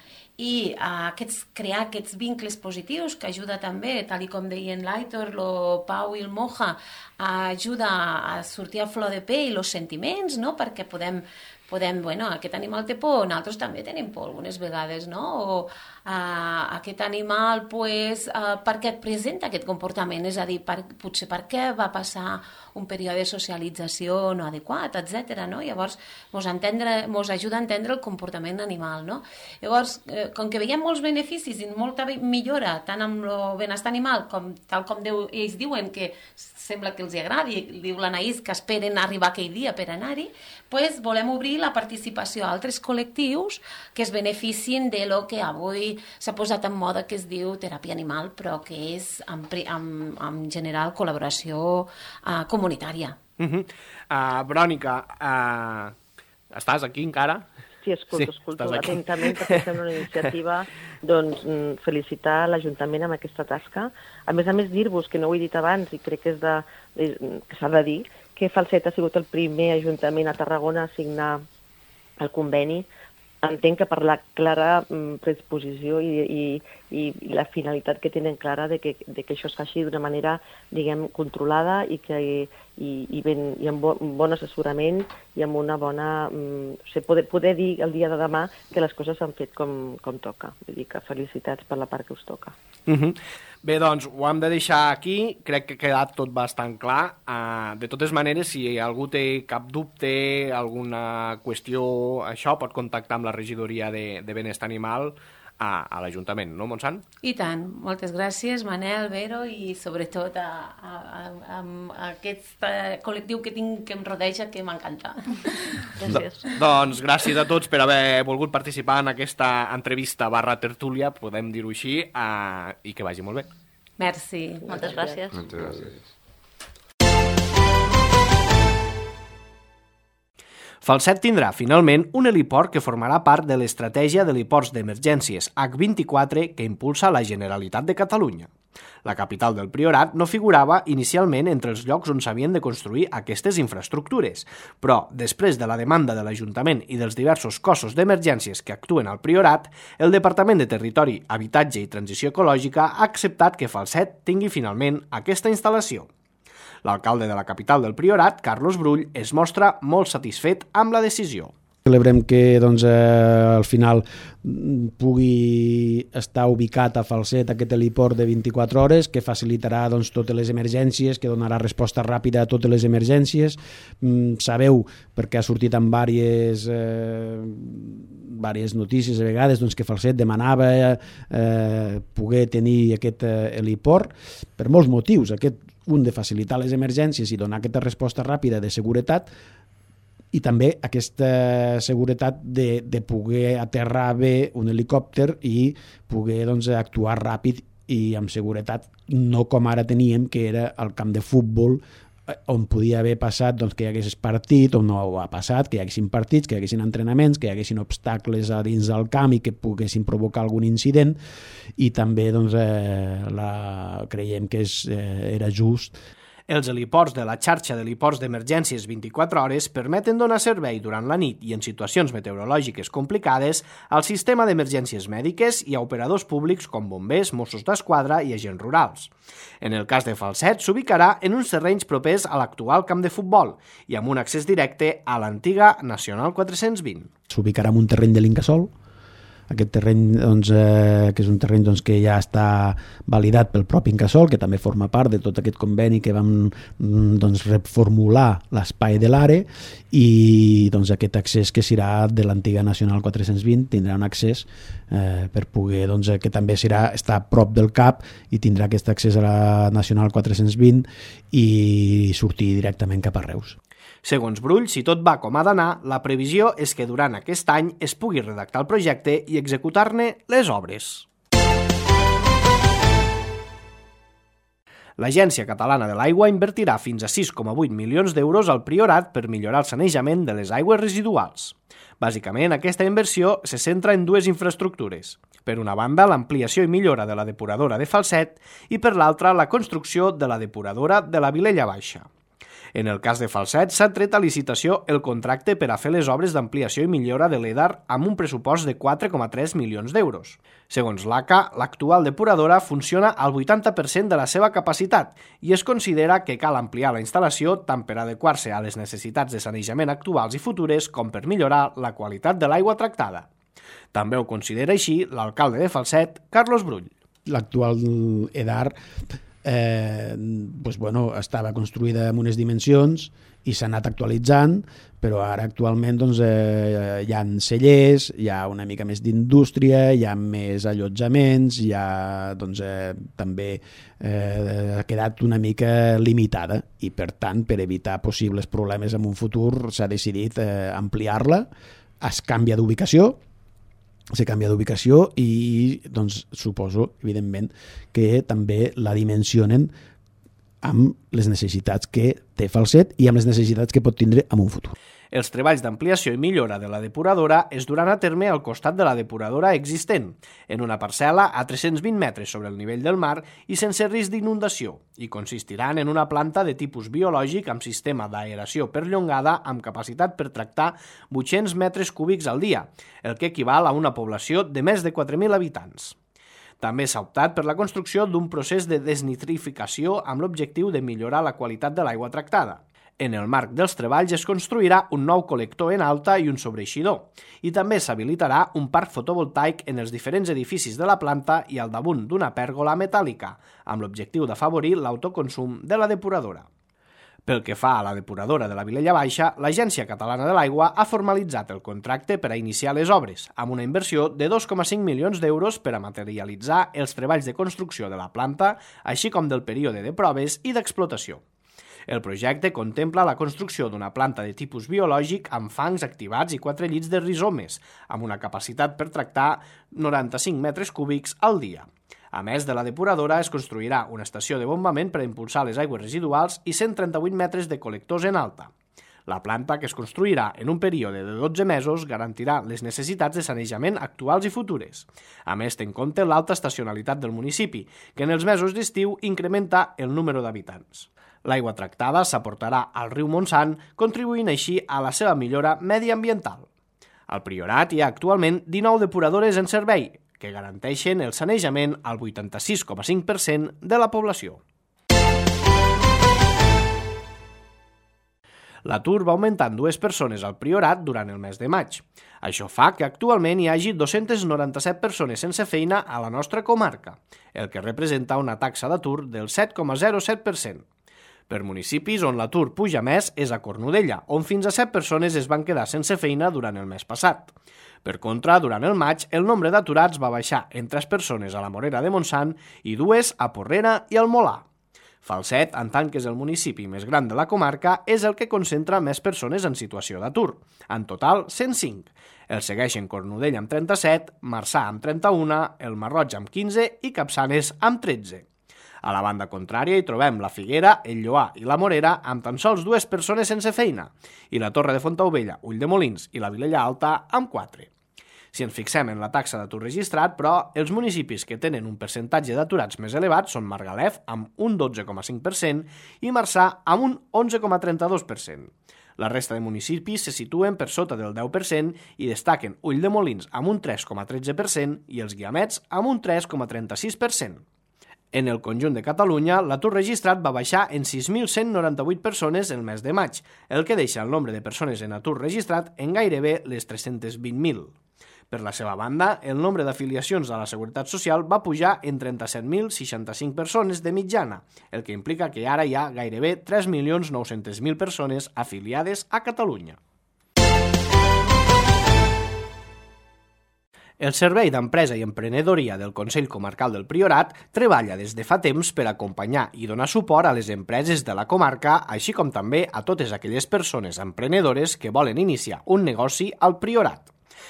i uh, aquests, crear aquests vincles positius que ajuda també, tal com deien l'Aitor, el Pau i el Moja, uh, ajuda a sortir a flor de pell els sentiments, no? Perquè podem podem, bueno, aquest animal té por, nosaltres també tenim por algunes vegades, no? O uh, aquest animal, pues, uh, per què et presenta aquest comportament? És a dir, per, potser per què va passar un període de socialització no adequat, etcètera, no? Llavors, mos, entendre, mos ajuda a entendre el comportament animal, no? Llavors, eh, com que veiem molts beneficis i molta millora, tant amb el benestar animal, com, tal com Déu, ells diuen que sembla que els agradi, diu l'Anaïs que esperen arribar aquell dia per anar-hi, pues volem obrir la participació a altres col·lectius que es beneficien de lo que avui s'ha posat en moda que es diu teràpia animal, però que és en, en, en general col·laboració uh, comunitària. Uh-huh. uh, Verònica, uh, estàs aquí encara? Sí, escolto, sí, escolto atentament perquè fem una iniciativa, doncs felicitar l'Ajuntament amb aquesta tasca. A més a més, dir-vos, que no ho he dit abans i crec que és de, que s'ha de dir, que Falset ha sigut el primer ajuntament a Tarragona a signar el conveni. Entenc que per la clara predisposició i, i, i la finalitat que tenen clara de que, de que això es faci d'una manera, diguem, controlada i, que, i, i, ben, i amb bon, bon assessorament i amb una bona... Um, o sigui, poder, poder dir el dia de demà que les coses s'han fet com, com toca. Vull dir que felicitats per la part que us toca. Uh-huh. Bé, doncs, ho hem de deixar aquí. Crec que ha quedat tot bastant clar. Uh, de totes maneres, si algú té cap dubte, alguna qüestió, això, pot contactar amb la regidoria de, de benestar animal a, a l'Ajuntament, no, Montsant? I tant. Moltes gràcies, Manel, Vero, i sobretot a, a, a, a aquest col·lectiu que tinc que em rodeja, que m'encanta. Gràcies. Do, doncs gràcies a tots per haver volgut participar en aquesta entrevista barra tertúlia, podem dir-ho així, uh, i que vagi molt bé. Merci. Moltes gràcies. Moltes gràcies. Falset tindrà, finalment, un heliport que formarà part de l'estratègia d'heliports d'emergències hac vint-i-quatre que impulsa la Generalitat de Catalunya. La capital del Priorat no figurava inicialment entre els llocs on s'havien de construir aquestes infraestructures, però, després de la demanda de l'Ajuntament i dels diversos cossos d'emergències que actuen al Priorat, el Departament de Territori, Habitatge i Transició Ecològica ha acceptat que Falset tingui finalment aquesta instal·lació. L'alcalde de la capital del Priorat, Carlos Brull, es mostra molt satisfet amb la decisió. Celebrem que doncs, eh, al final pugui estar ubicat a Falset aquest heliport de vint-i-quatre hores, que facilitarà doncs, totes les emergències, que donarà resposta ràpida a totes les emergències. Mm, sabeu, perquè ha sortit en diverses, eh, diverses notícies a vegades, doncs, que Falset demanava eh, poder tenir aquest eh, heliport per molts motius. Aquest, un de facilitar les emergències i donar aquesta resposta ràpida de seguretat, i també aquesta seguretat de, de poder aterrar bé un helicòpter i poder doncs, actuar ràpid i amb seguretat, no com ara teníem, que era el camp de futbol, on podia haver passat doncs, que hi hagués partit, on no ha passat, que hi haguessin partits, que hi haguessin entrenaments, que hi haguessin obstacles a dins del camp i que poguessin provocar algun incident, i també doncs, eh, la, creiem que és, eh, era just. Els heliports de la xarxa d'heliports d'emergències vint-i-quatre hores permeten donar servei durant la nit i en situacions meteorològiques complicades al sistema d'emergències mèdiques i a operadors públics com bombers, Mossos d'Esquadra i agents rurals. En el cas de Falset, s'ubicarà en uns terrenys propers a l'actual camp de futbol i amb un accés directe a l'antiga Nacional quatre-cents vint. S'ubicarà en un terreny de l'Incasòl. Aquest terreny, doncs, eh, que és un terreny doncs, que ja està validat pel propi Incasòl, que també forma part de tot aquest conveni que vam doncs, reformular l'espai de l'Are, i doncs, aquest accés que serà de l'antiga Nacional quatre-cents vint tindrà un accés eh, per poder, doncs, que també serà estar a prop del C A P i tindrà aquest accés a la Nacional quatre-cents vint i sortir directament cap a Reus. Segons Brull, si tot va com ha d'anar, la previsió és que durant aquest any es pugui redactar el projecte i executar-ne les obres. L'Agència Catalana de l'Aigua invertirà fins a sis coma vuit milions d'euros al Priorat per millorar el sanejament de les aigües residuals. Bàsicament, aquesta inversió se centra en dues infraestructures. Per una banda, l'ampliació i millora de la depuradora de Falset i per l'altra, la construcció de la depuradora de la Vilella Baixa. En el cas de Falset, s'ha tret a licitació el contracte per a fer les obres d'ampliació i millora de l'E D A R amb un pressupost de quatre coma tres milions d'euros. Segons l'A C A, l'actual depuradora funciona al vuitanta per cent de la seva capacitat i es considera que cal ampliar la instal·lació tant per adequar-se a les necessitats de sanejament actuals i futures com per millorar la qualitat de l'aigua tractada. També ho considera així l'alcalde de Falset, Carlos Brull. L'actual E D A R Eh, doncs, bueno, estava construïda amb unes dimensions i s'ha anat actualitzant, però ara actualment doncs, eh, hi ha cellers, hi ha una mica més d'indústria, hi ha més allotjaments, hi ha, doncs, eh, també eh, ha quedat una mica limitada i per tant, per evitar possibles problemes en un futur, s'ha decidit eh, ampliar-la, es canvia d'ubicació, se canvia d'ubicació i doncs, suposo, evidentment, que també la dimensionen amb les necessitats que té Falset i amb les necessitats que pot tindre en un futur. Els treballs d'ampliació i millora de la depuradora es duran a terme al costat de la depuradora existent, en una parcel·la a tres-cents vint metres sobre el nivell del mar i sense risc d'inundació, i consistiran en una planta de tipus biològic amb sistema d'aeració perllongada amb capacitat per tractar vuit-cents metres cúbics al dia, el que equival a una població de més de quatre mil habitants. També s'ha optat per la construcció d'un procés de desnitrificació amb l'objectiu de millorar la qualitat de l'aigua tractada. En el marc dels treballs es construirà un nou col·lector en alta i un sobreeixidor, i també s'habilitarà un parc fotovoltaic en els diferents edificis de la planta i al damunt d'una pèrgola metàl·lica, amb l'objectiu d'afavorir l'autoconsum de la depuradora. Pel que fa a la depuradora de la Vilella Baixa, l'Agència Catalana de l'Aigua ha formalitzat el contracte per a iniciar les obres, amb una inversió de dos coma cinc milions d'euros per a materialitzar els treballs de construcció de la planta, així com del període de proves i d'explotació. El projecte contempla la construcció d'una planta de tipus biològic amb fangs activats i quatre llits de rizomes, amb una capacitat per tractar noranta-cinc metres cúbics al dia. A més de la depuradora, es construirà una estació de bombament per a impulsar les aigües residuals i cent trenta-vuit metres de col·lectors en alta. La planta, que es construirà en un període de dotze mesos, garantirà les necessitats de sanejament actuals i futures. A més, té en compte l'alta estacionalitat del municipi, que en els mesos d'estiu incrementa el número d'habitants. L'aigua tractada s'aportarà al riu Montsant, contribuint així a la seva millora mediambiental. Al Priorat hi ha actualment dinou depuradores en servei, que garanteixen el sanejament al vuitanta-sis coma cinc per cent de la població. L'atur va augmentar en dues persones al Priorat durant el mes de maig. Això fa que actualment hi hagi dos-centes noranta-set persones sense feina a la nostra comarca, el que representa una taxa d'atur del set coma zero set per cent. Per municipis on l'atur puja més és a Cornudella, on fins a set persones es van quedar sense feina durant el mes passat. Per contra, durant el maig, el nombre d'aturats va baixar en tres persones a la Morera de Montsant i dues a Porrera i al Molar. Falset, en tant que és el municipi més gran de la comarca, és el que concentra més persones en situació d'atur. En total, cent cinc. El segueixen Cornudella amb trenta-set, Marçà amb trenta-un, el Marroig amb quinze i Capçanes amb tretze. A la banda contrària hi trobem la Figuera, el Lloar i la Morera amb tan sols dues persones sense feina i la Torre de Fontaubella, Ulldemolins i la Vilella Alta amb quatre. Si ens fixem en la taxa d'atur registrat, però, els municipis que tenen un percentatge d'aturats més elevat són Margalef, amb un dotze coma cinc per cent, i Marçà, amb un onze coma trenta-dos per cent. La resta de municipis se situen per sota del deu per cent i destaquen Ulldemolins amb un tres coma tretze per cent i els Guiamets amb un tres coma trenta-sis per cent. En el conjunt de Catalunya, l'atur registrat va baixar en sis mil cent noranta-vuit persones el mes de maig, el que deixa el nombre de persones en atur registrat en gairebé les tres-cents vint mil. Per la seva banda, el nombre d'afiliacions a la Seguretat Social va pujar en trenta-set mil seixanta-cinc persones de mitjana, el que implica que ara hi ha gairebé tres milions nou-cents mil persones afiliades a Catalunya. El Servei d'Empresa i Emprenedoria del Consell Comarcal del Priorat treballa des de fa temps per acompanyar i donar suport a les empreses de la comarca, així com també a totes aquelles persones emprenedores que volen iniciar un negoci al Priorat.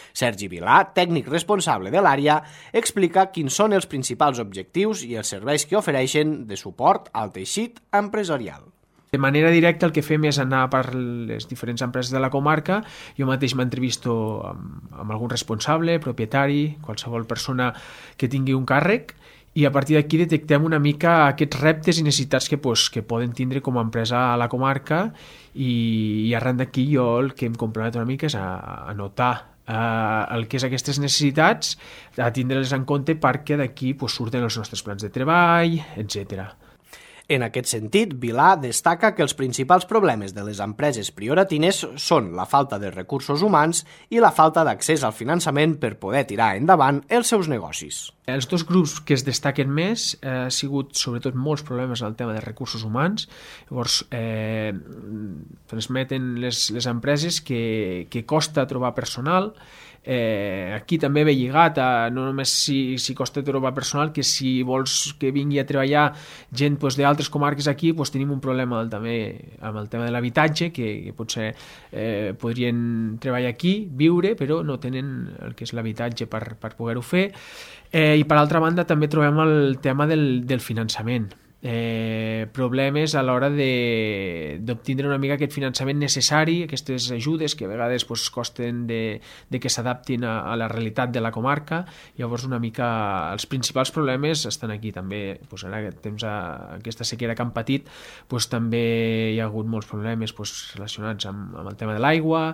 Sergi Vilà, tècnic responsable de l'àrea, explica quins són els principals objectius i els serveis que ofereixen de suport al teixit empresarial. De manera directa el que fem és anar per les diferents empreses de la comarca. Jo mateix m'entrevisto amb, amb algun responsable, propietari, qualsevol persona que tingui un càrrec, i a partir d'aquí detectem una mica aquests reptes i necessitats que, pues, que poden tindre com a empresa a la comarca, i, i arran d'aquí jo el que em compromet una mica és a, a notar Uh, el que és aquestes necessitats, a tindre-les en compte perquè d'aquí pues, surten els nostres plans de treball, etcètera. En aquest sentit, Vilà destaca que els principals problemes de les empreses prioratines són la falta de recursos humans i la falta d'accés al finançament per poder tirar endavant els seus negocis. Els dos grups que es destaquen més eh, ha sigut sobretot molts problemes en el tema de recursos humans. Llavors, eh, transmeten les, les empreses que, que costa trobar personal. Eh, aquí també ve lligat a no només si, si costa trobar personal, que si vols que vingui a treballar gent pues, d'altres comarques aquí, pues, tenim un problema també amb el tema de l'habitatge, que, que potser eh, podrien treballar aquí, viure, però no tenen el que és l'habitatge per, per poder-ho fer. Eh, I per altra banda també trobem el tema del, del finançament. Eh, problemes a l'hora d'obtindre una mica aquest finançament necessari, aquestes ajudes que a vegades pues, costen de, de que s'adaptin a, a la realitat de la comarca. Llavors una mica els principals problemes estan aquí també. Pues, ara que temps a aquesta sequera que han patit, pues, també hi ha hagut molts problemes pues, relacionats amb, amb el tema de l'aigua.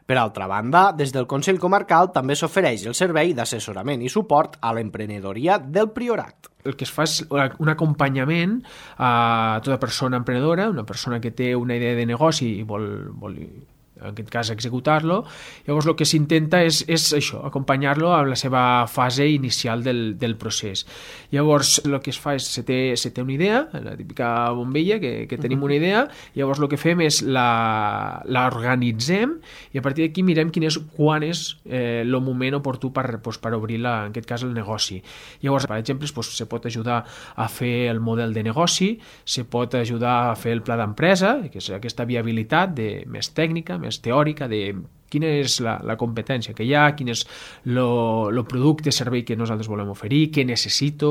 Per altra banda, des del Consell Comarcal també s'ofereix el servei d'assessorament i suport a l'emprenedoria del Priorat. El que es fa és un acompanyament a tota persona emprenedora, una persona que té una idea de negoci i vol, vol en aquest cas executar-lo. Llavors el que s'intenta és, és això, acompanyar-lo en la seva fase inicial del, del procés. Llavors el que es fa és, se té, se té una idea, la típica bombilla, que, que tenim una idea, llavors el que fem és la, la organitzem i a partir d'aquí mirem quin és, quan és eh, el moment oportú per, pues, per obrir la, en aquest cas el negoci. Llavors, per exemple, pues, se pot ajudar a fer el model de negoci, se pot ajudar a fer el pla d'empresa, que és aquesta viabilitat de, més tècnica, més teòrica, de quina és la, la competència que hi ha, quin és el producte, servei que nosaltres volem oferir, què necessito,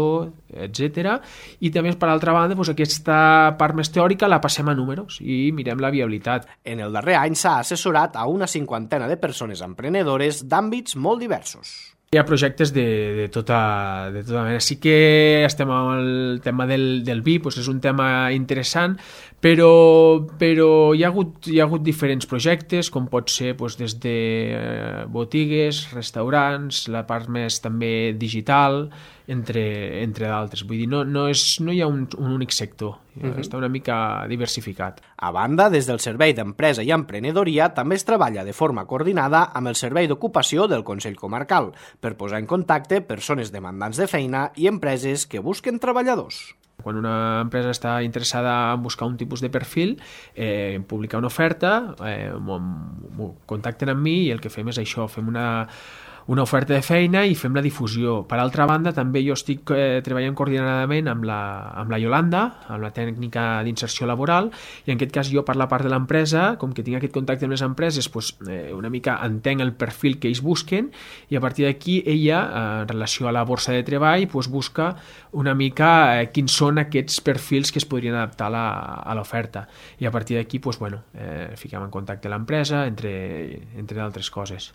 etcètera. I també, per altra banda, doncs, aquesta part més teòrica la passem a números i mirem la viabilitat. En el darrer any s'ha assessorat a una cinquantena de persones emprenedores d'àmbits molt diversos. Hi ha projectes de, de, tota, de tota mena. Sí que estem amb el tema del, del vi, doncs és un tema interessant, però, però hi, ha hagut, hi ha hagut diferents projectes, com pot ser doncs, des de eh, botigues, restaurants, la part més també digital, entre, entre d'altres. Vull dir, no, no, és, no hi ha un, un únic sector, uh-huh. Està una mica diversificat. A banda, des del Servei d'Empresa i Emprenedoria també es treballa de forma coordinada amb el Servei d'Ocupació del Consell Comarcal per posar en contacte persones demandants de feina i empreses que busquen treballadors. Quan una empresa està interessada en buscar un tipus de perfil, eh, publicar una oferta, eh, contacten amb mi i el que fem és això, fem una... una oferta de feina i fem la difusió. Per altra banda, també jo estic eh, treballant coordinadament amb la, amb la Yolanda, amb la tècnica d'inserció laboral, i en aquest cas jo per la part de l'empresa, com que tinc aquest contacte amb les empreses, doncs, eh, una mica entenc el perfil que ells busquen i a partir d'aquí ella, eh, en relació a la borsa de treball, doncs, busca una mica eh, quins són aquests perfils que es podrien adaptar a, la, a l'oferta. I a partir d'aquí, doncs, bueno, eh, fiquem en contacte l'empresa, entre, entre d'altres coses.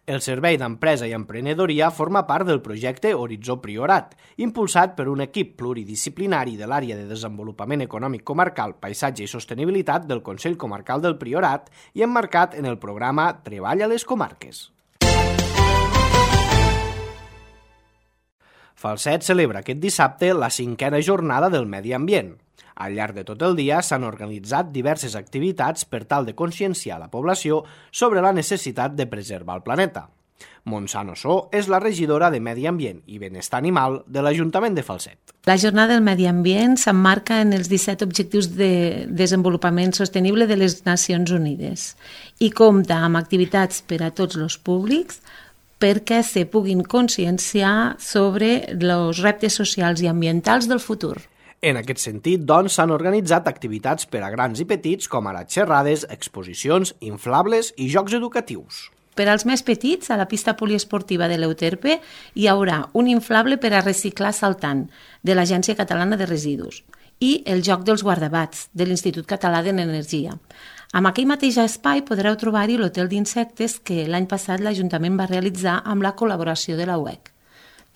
El Servei d'Empresa i Emprenedoria forma part del projecte Horitzó Priorat, impulsat per un equip pluridisciplinari de l'Àrea de Desenvolupament Econòmic Comarcal, Paisatge i Sostenibilitat del Consell Comarcal del Priorat i emmarcat en el programa Treball a les Comarques. Falset celebra aquest dissabte la cinquena jornada del medi ambient. Al llarg de tot el dia s'han organitzat diverses activitats per tal de conscienciar la població sobre la necessitat de preservar el planeta. Montsant Ossó és la regidora de Medi Ambient i Benestar Animal de l'Ajuntament de Falset. La jornada del medi ambient s'emmarca en els disset Objectius de Desenvolupament Sostenible de les Nacions Unides i compta amb activitats per a tots els públics perquè se puguin conscienciar sobre els reptes socials i ambientals del futur. En aquest sentit, doncs, s'han organitzat activitats per a grans i petits, com ara xerrades, exposicions, inflables i jocs educatius. Per als més petits, a la pista poliesportiva de l'Euterpe hi haurà un inflable per a reciclar saltant de l'Agència Catalana de Residus i el joc dels guardabats de l'Institut Català de l'Energia. Amb aquell mateix espai podreu trobar-hi l'hotel d'insectes que l'any passat l'Ajuntament va realitzar amb la col·laboració de la U E C.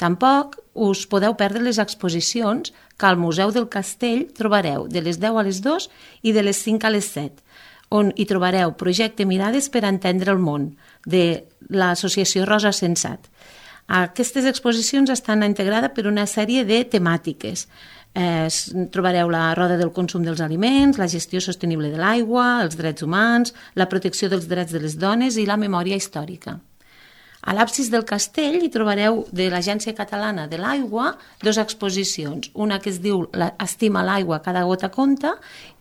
Tampoc us podeu perdre les exposicions que al Museu del Castell trobareu de les deu a les dues i de les cinc a les set, on hi trobareu Projecte Mirades per entendre el món, de l'associació Rosa Sensat. Aquestes exposicions estan integrades per una sèrie de temàtiques. Eh, trobareu la roda del consum dels aliments, la gestió sostenible de l'aigua, els drets humans, la protecció dels drets de les dones i la memòria històrica. A l'absis del castell hi trobareu de l'Agència Catalana de l'Aigua dues exposicions, una que es diu Estima l'aigua, cada gota compta,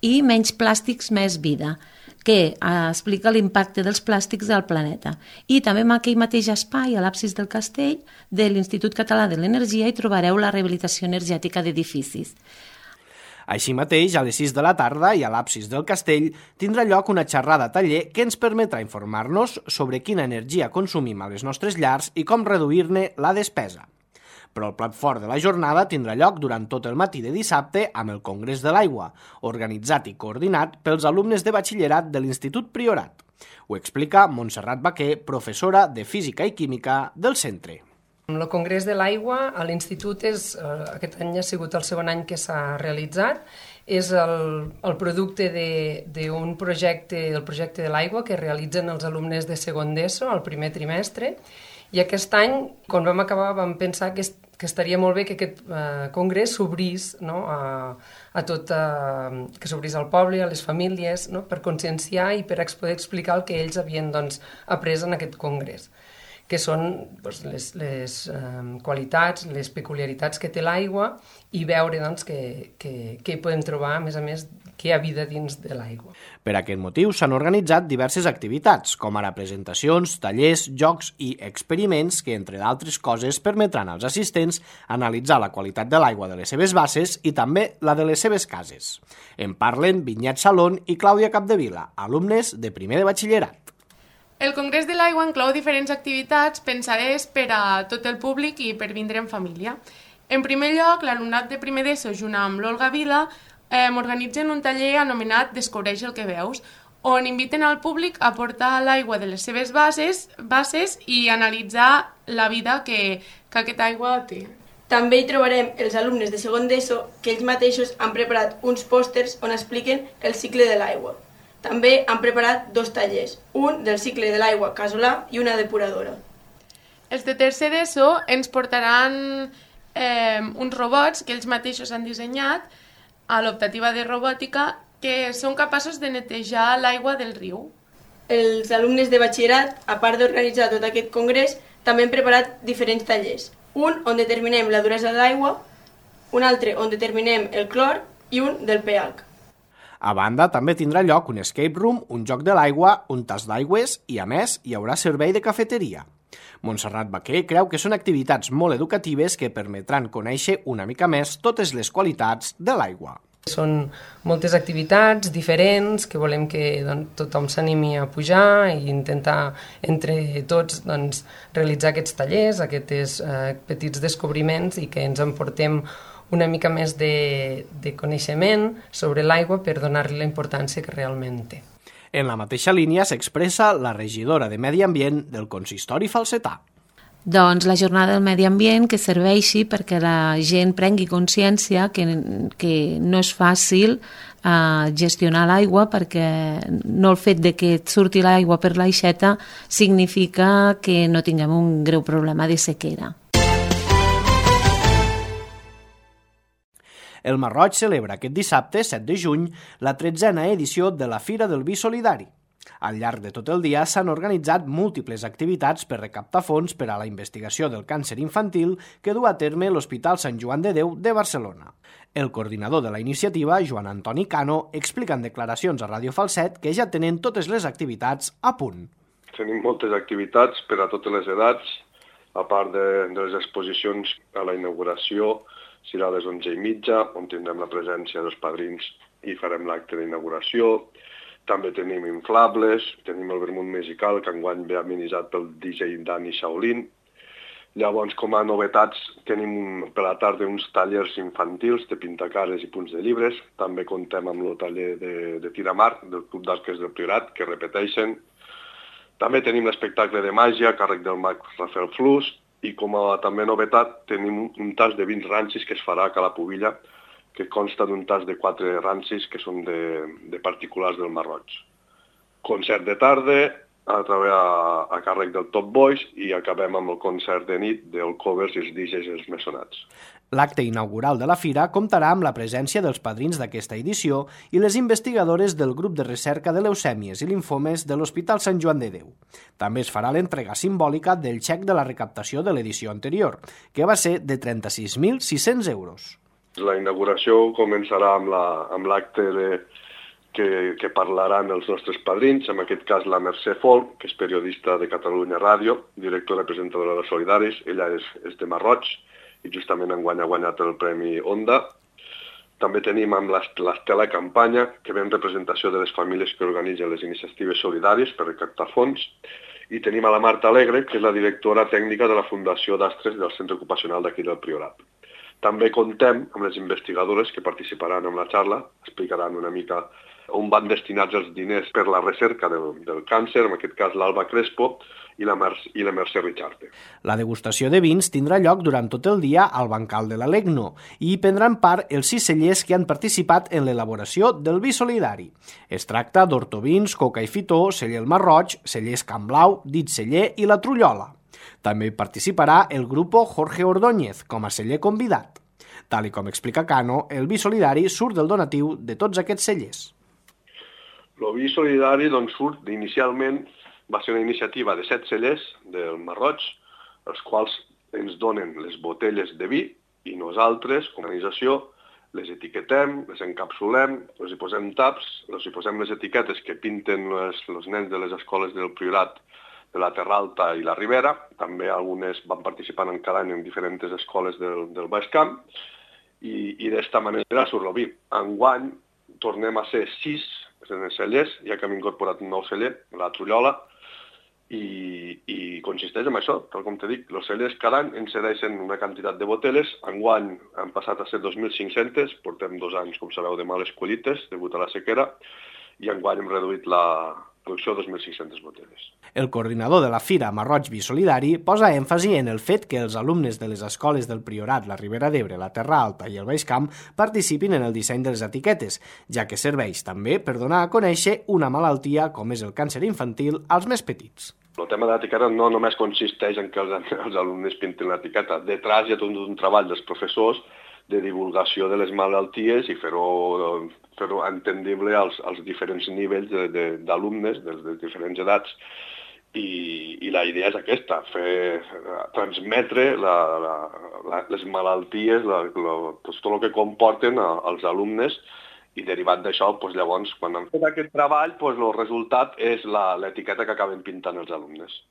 i Menys plàstics, més vida, que explica l'impacte dels plàstics al planeta. I també en aquell mateix espai, a l'absis del castell, de l'Institut Català de l'Energia, hi trobareu la rehabilitació energètica d'edificis. Així mateix, a les sis de la tarda i a l'absis del castell tindrà lloc una xerrada taller que ens permetrà informar-nos sobre quina energia consumim a les nostres llars i com reduir-ne la despesa. Però el plat fort de la jornada tindrà lloc durant tot el matí de dissabte amb el Congrés de l'Aigua, organitzat i coordinat pels alumnes de batxillerat de l'Institut Priorat. Ho explica Montserrat Baquer, professora de Física i Química del centre. El Congrés de l'Aigua a l'Institut és, aquest any ha sigut el segon any que s'ha realitzat, és el, el producte d'un projecte, el projecte de l'aigua que realitzen els alumnes de segon d'ESO al primer trimestre, i aquest any, quan vam acabar, vam pensar que, que estaria molt bé que aquest eh, congrés s'obrís, no, a, a tot, eh, que s'obrís al poble, a les famílies, no, per conscienciar i per poder explicar el que ells havien doncs, après en aquest congrés, que són doncs, les, les eh, qualitats, les peculiaritats que té l'aigua i veure doncs, que, que, que hi podem trobar, a més a més, que hi ha vida dins de l'aigua. Per aquest motiu s'han organitzat diverses activitats, com ara presentacions, tallers, jocs i experiments que, entre d'altres coses, permetran als assistents analitzar la qualitat de l'aigua de les seves basses i també la de les seves cases. En parlen Vinyet Salón i Clàudia Capdevila, alumnes de primer de batxillerat. El Congrés de l'Aigua inclou diferents activitats pensades per a tot el públic i per vindre en família. En primer lloc, l'alumnat de primer d'ESO, junt amb l'Olga Vila, eh, organitzen un taller anomenat Descobreix el que veus, on inviten al públic a portar l'aigua de les seves bases, bases i analitzar la vida que, que aquesta aigua té. També hi trobarem els alumnes de segon d'ESO que ells mateixos han preparat uns pòsters on expliquen el cicle de l'aigua. També han preparat dos tallers, un del cicle de l'aigua casolà i una depuradora. Els de tercer d'ESO ens portaran eh, uns robots que ells mateixos han dissenyat a l'optativa de robòtica que són capaços de netejar l'aigua del riu. Els alumnes de batxillerat, a part d'organitzar tot aquest congrés, també han preparat diferents tallers. Un on determinem la duresa de l'aigua, un altre on determinem el clor i un del pH. A banda, també tindrà lloc un escape room, un joc de l'aigua, un tas d'aigües i, a més, hi haurà servei de cafeteria. Montserrat Baquer creu que són activitats molt educatives que permetran conèixer una mica més totes les qualitats de l'aigua. Són moltes activitats diferents que volem que doncs, tothom s'animi a pujar i intentar entre tots doncs, realitzar aquests tallers, aquests eh, petits descobriments i que ens emportem una mica més de, de coneixement sobre l'aigua per donar-li la importància que realment té. En la mateixa línia s'expressa la regidora de Medi Ambient del consistori falsetà. Doncs la jornada del medi ambient que serveixi perquè la gent prengui consciència que, que no és fàcil uh, gestionar l'aigua, perquè no el fet de que et surti l'aigua per l'aixeta significa que no tinguem un greu problema de sequera. El Masroig celebra aquest dissabte, set de juny, la tretzena edició de la Fira del Vi Solidari. Al llarg de tot el dia s'han organitzat múltiples activitats per recaptar fons per a la investigació del càncer infantil que du a terme l'Hospital Sant Joan de Déu de Barcelona. El coordinador de la iniciativa, Joan Antoni Cano, explica en declaracions a Ràdio Falset que ja tenen totes les activitats a punt. Tenim moltes activitats per a totes les edats, a part de, de les exposicions a la inauguració, serà a les onze i mitja, on tindrem la presència dels padrins i farem l'acte d'inauguració. També tenim inflables, tenim el vermut musical, que enguany ve amenitzat pel D J Dani Shaolin. Llavors, com a novetats, tenim per la tarda uns tallers infantils de pintacares i punts de llibres. També contem amb el taller de, de tiramar del Club d'Arques del Priorat, que repeteixen. També tenim l'espectacle de màgia a càrrec del mag Rafael Flus. I com a també novetat tenim un tas de vins rancis que es farà a Cala Pubilla, que consta d'un tas de quatre rancis que són de, de particulars del Masroig. Concert de tarda a, a, a càrrec del Top Boys i acabem amb el concert de nit del covers i els D Js i els Messonats. L'acte inaugural de la fira comptarà amb la presència dels padrins d'aquesta edició i les investigadores del grup de recerca de leucèmies i linfomes de l'Hospital Sant Joan de Déu. També es farà l'entrega simbòlica del xec de la recaptació de l'edició anterior, que va ser de trenta-sis mil sis-cents euros. La inauguració començarà amb l'acte la, que, que parlaran els nostres padrins, en aquest cas la Mercè Folk, que és periodista de Catalunya Ràdio, directora i presentadora de Solidaris, ella és, és de Masroig, i justament enguany ha guanyat el Premi Onda. També tenim amb l'Estela Campanya, que ve en representació de les famílies que organitzen les iniciatives solidàries per recaptar fons. I tenim a la Marta Alegre, que és la directora tècnica de la Fundació d'Astres del Centre Ocupacional d'aquí del Priorat. També contem amb les investigadores que participaran en la xarra, explicaran una mica on van destinats els diners per la recerca del, del càncer, en aquest cas l'Alba Crespo, i la, Mer i la Mercè Richarte. La degustació de vins tindrà lloc durant tot el dia al bancal de l'Alegno i hi prendran part els sis cellers que han participat en l'elaboració del vi solidari. Es tracta d'Hortovins, Coca i Fitó, celler El Masroig, cellers Can Blau, Dit Celler i La Trullola. També hi participarà el grupo Jorge Ordóñez com a celler convidat. Tal i com explica Cano, el vi solidari surt del donatiu de tots aquests cellers. El vi solidari doncs, surt inicialment va ser una iniciativa de set cellers del Masroig, els quals ens donen les botelles de vi i nosaltres, com a organització, les etiquetem, les encapsulem, els hi posem taps, els hi posem les etiquetes que pinten les, els nens de les escoles del Priorat de la Terra Alta i la Ribera. També algunes van participant en cada any en diferents escoles del, del Baix Camp i, i d'esta manera surt el vi. Enguany tornem a ser sis cellers, ja que hem incorporat un nou celler, la Trullola, i, i consisteix en això, tal com te dic. Els cellers cada any ens cedeixen una quantitat de boteles. Enguany han passat a ser dos mil cinc-centes, portem dos anys, com sabeu, de males collites, degut a la sequera, i enguany hem reduït la producció a dos mil cinc-centes boteles. El coordinador de la Fira Marroig Bisolidari posa èmfasi en el fet que els alumnes de les escoles del Priorat, la Ribera d'Ebre, la Terra Alta i el Baix Camp participin en el disseny de les etiquetes, ja que serveix també per donar a conèixer una malaltia com és el càncer infantil als més petits. El tema de l'etiqueta no només consisteix en que els, els alumnes pintin l'etiqueta. Detrás hi ha tot un treball dels professors de divulgació de les malalties i fer-ho fer-ho entendible als, als diferents nivells d'alumnes, de, de, de les diferents edats, i, i la idea és aquesta, fer, transmetre la, la, la, les malalties, la, la, tot el que comporten a, als alumnes, i derivat d'això, doncs, llavors, quan han fet aquest treball, doncs, el resultat és l'etiqueta que acaben pintant els alumnes.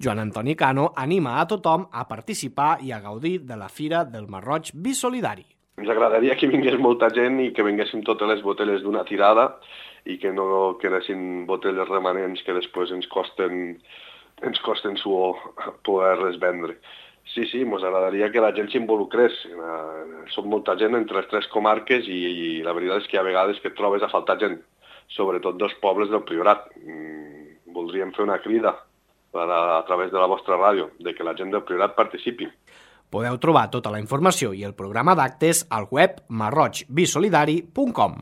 Joan Antoni Cano anima a tothom a participar i a gaudir de la Fira del Marroig Bisolidari. Ens agradaria que vingués molta gent i que vinguessin totes les boteles d'una tirada i que no quedessin boteles remanents que després ens costen, ens costen suor poder-les vendre. Sí, sí, ens agradaria que la gent s'involucrés. Som molta gent entre les tres comarques i, i la veritat és que hi ha vegades que et trobes a faltar gent, sobretot dels pobles del Priorat. Mm, voldríem fer una crida a, a través de la vostra ràdio, de que la gent del Priorat participi. Podeu trobar tota la informació i el programa d'actes al web marroig bisolidari punt com.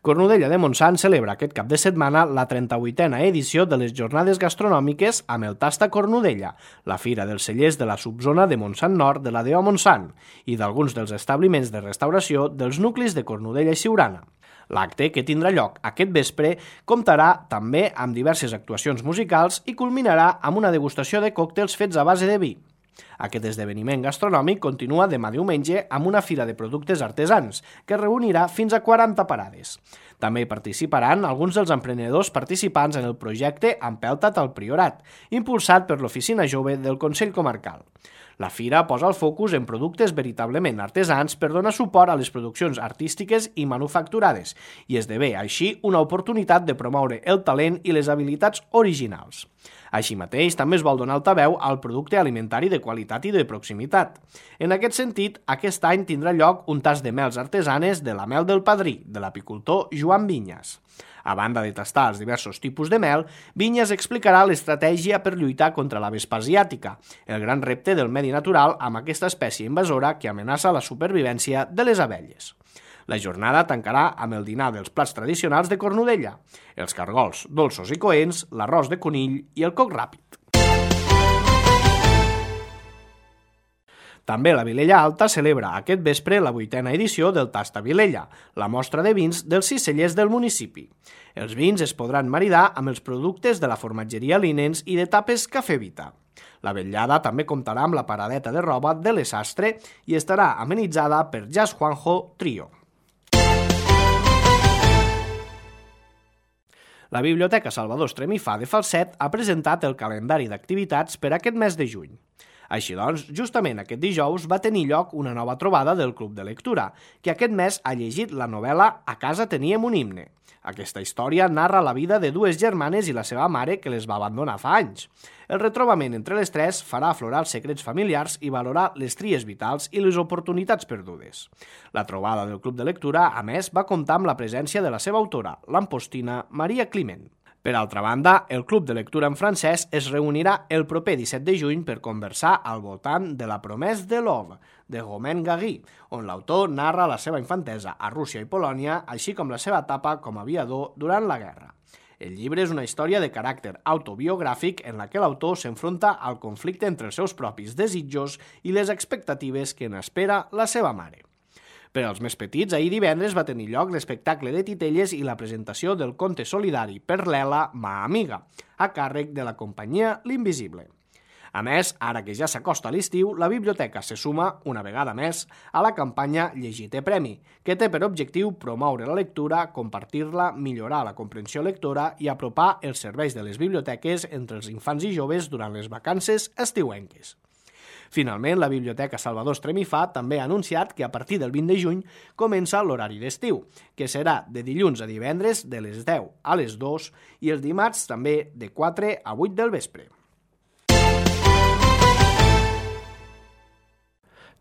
Cornudella de Montsant celebra aquest cap de setmana la trenta-vuitena edició de les Jornades Gastronòmiques amb el Tasta Cornudella, la fira dels cellers de la subzona de Montsant Nord de la D E O Montsant i d'alguns dels establiments de restauració dels nuclis de Cornudella i Siurana. L'acte, que tindrà lloc aquest vespre, comptarà també amb diverses actuacions musicals i culminarà amb una degustació de còctels fets a base de vi. Aquest esdeveniment gastronòmic continua demà diumenge amb una fira de productes artesans, que reunirà fins a quaranta parades. També hi participaran alguns dels emprenedors participants en el projecte Empelta't al Priorat, impulsat per l'Oficina Jove del Consell Comarcal. La fira posa el focus en productes veritablement artesans per donar suport a les produccions artístiques i manufacturades i esdevé així una oportunitat de promoure el talent i les habilitats originals. Així mateix, també es vol donar altaveu al producte alimentari de qualitat i de proximitat. En aquest sentit, aquest any tindrà lloc un tas de mels artesanes de la mel del padrí, de l'apicultor Joan Vinyes. A banda de tastar els diversos tipus de mel, Vinyes explicarà l'estratègia per lluitar contra la vespa asiàtica, el gran repte del medi natural amb aquesta espècie invasora que amenaça la supervivència de les abelles. La jornada tancarà amb el dinar dels plats tradicionals de Cornudella, els cargols dolços i coents, l'arròs de conill i el coc ràpid. També la Vilella Alta celebra aquest vespre la vuitena edició del Tasta Vilella, la mostra de vins dels sis cellers del municipi. Els vins es podran maridar amb els productes de la formatgeria Linens i de tapes Cafè Vita. La vetllada també comptarà amb la paradeta de roba de l'Esastre i estarà amenitzada per Jazz Juanjo Trio. La Biblioteca Salvador Estremifà de Falset ha presentat el calendari d'activitats per aquest mes de juny. Així doncs, justament aquest dijous va tenir lloc una nova trobada del Club de Lectura, que aquest mes ha llegit la novel·la A casa teníem un himne. Aquesta història narra la vida de dues germanes i la seva mare que les va abandonar fa anys. El retrobament entre les tres farà aflorar els secrets familiars i valorar les tries vitals i les oportunitats perdudes. La trobada del Club de Lectura, a més, va comptar amb la presència de la seva autora, l'ampostina Maria Climent. Per altra banda, el Club de Lectura en francès es reunirà el proper disset de juny per conversar al voltant de La promesse de l'Ove, de Romain Gary, on l'autor narra la seva infantesa a Rússia i Polònia, així com la seva etapa com a aviador durant la guerra. El llibre és una història de caràcter autobiogràfic en la que l'autor s'enfronta al conflicte entre els seus propis desitjos i les expectatives que n'espera la seva mare. Per als més petits, ahir divendres va tenir lloc l'espectacle de titelles i la presentació del conte solidari per l'Ela, ma amiga, a càrrec de la companyia L'Invisible. A més, ara que ja s'acosta l'estiu, la biblioteca se suma, una vegada més, a la campanya Llegir té premi, que té per objectiu promoure la lectura, compartir-la, millorar la comprensió lectora i apropar els serveis de les biblioteques entre els infants i joves durant les vacances estiuenques. Finalment, la Biblioteca Salvador Estremifà també ha anunciat que a partir del vint de juny comença l'horari d'estiu, que serà de dilluns a divendres de les deu a les dues i els dimarts també de quatre a vuit del vespre.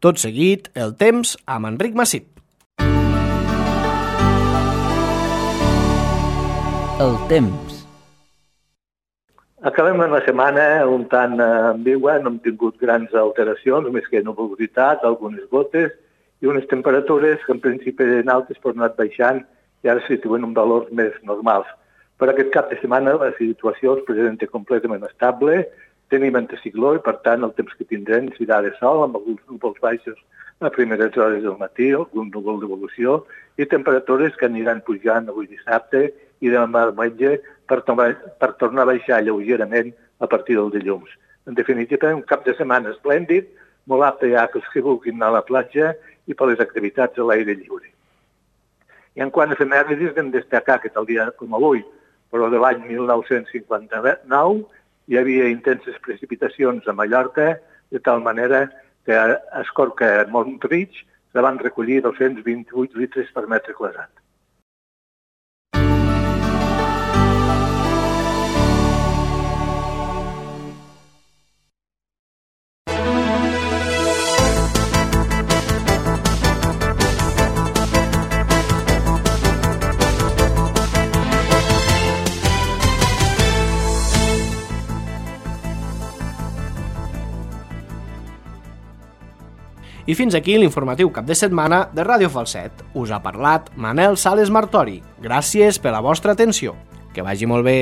Tot seguit, el temps amb Enric Massip. El temps. Acabem una setmana un tant ambigua, no hem tingut grans alteracions, més que nuvolositat, algunes gotes i unes temperatures que en principi eren altes però han anat baixant i ara se situen en valors més normals. Per aquest cap de setmana la situació es presenta completament estable, tenim anticicló i per tant el temps que tindrem serà de sol amb alguns núvols baixos a primeres hores del matí, algun núvol d'evolució i temperatures que aniran pujant avui dissabte i demà diumenge per, per tornar a baixar lleugerament a partir del dilluns. En definitiva, un cap de setmana esplèndid, molt apte ja que els que vulguin anar a la platja i per les activitats a l'aire lliure. I en quant a efemèrides, hem de destacar que tal dia com avui, però de l'any mil nou-cents cinquanta-nou, hi havia intenses precipitacions a Mallorca, de tal manera que a Escorca, a Montrich, se van recollir dos-cents vint-i-vuit litres per metre quadrat. I fins aquí l'informatiu cap de setmana de Ràdio Falset. Us ha parlat Manel Sales Martori. Gràcies per la vostra atenció. Que vagi molt bé.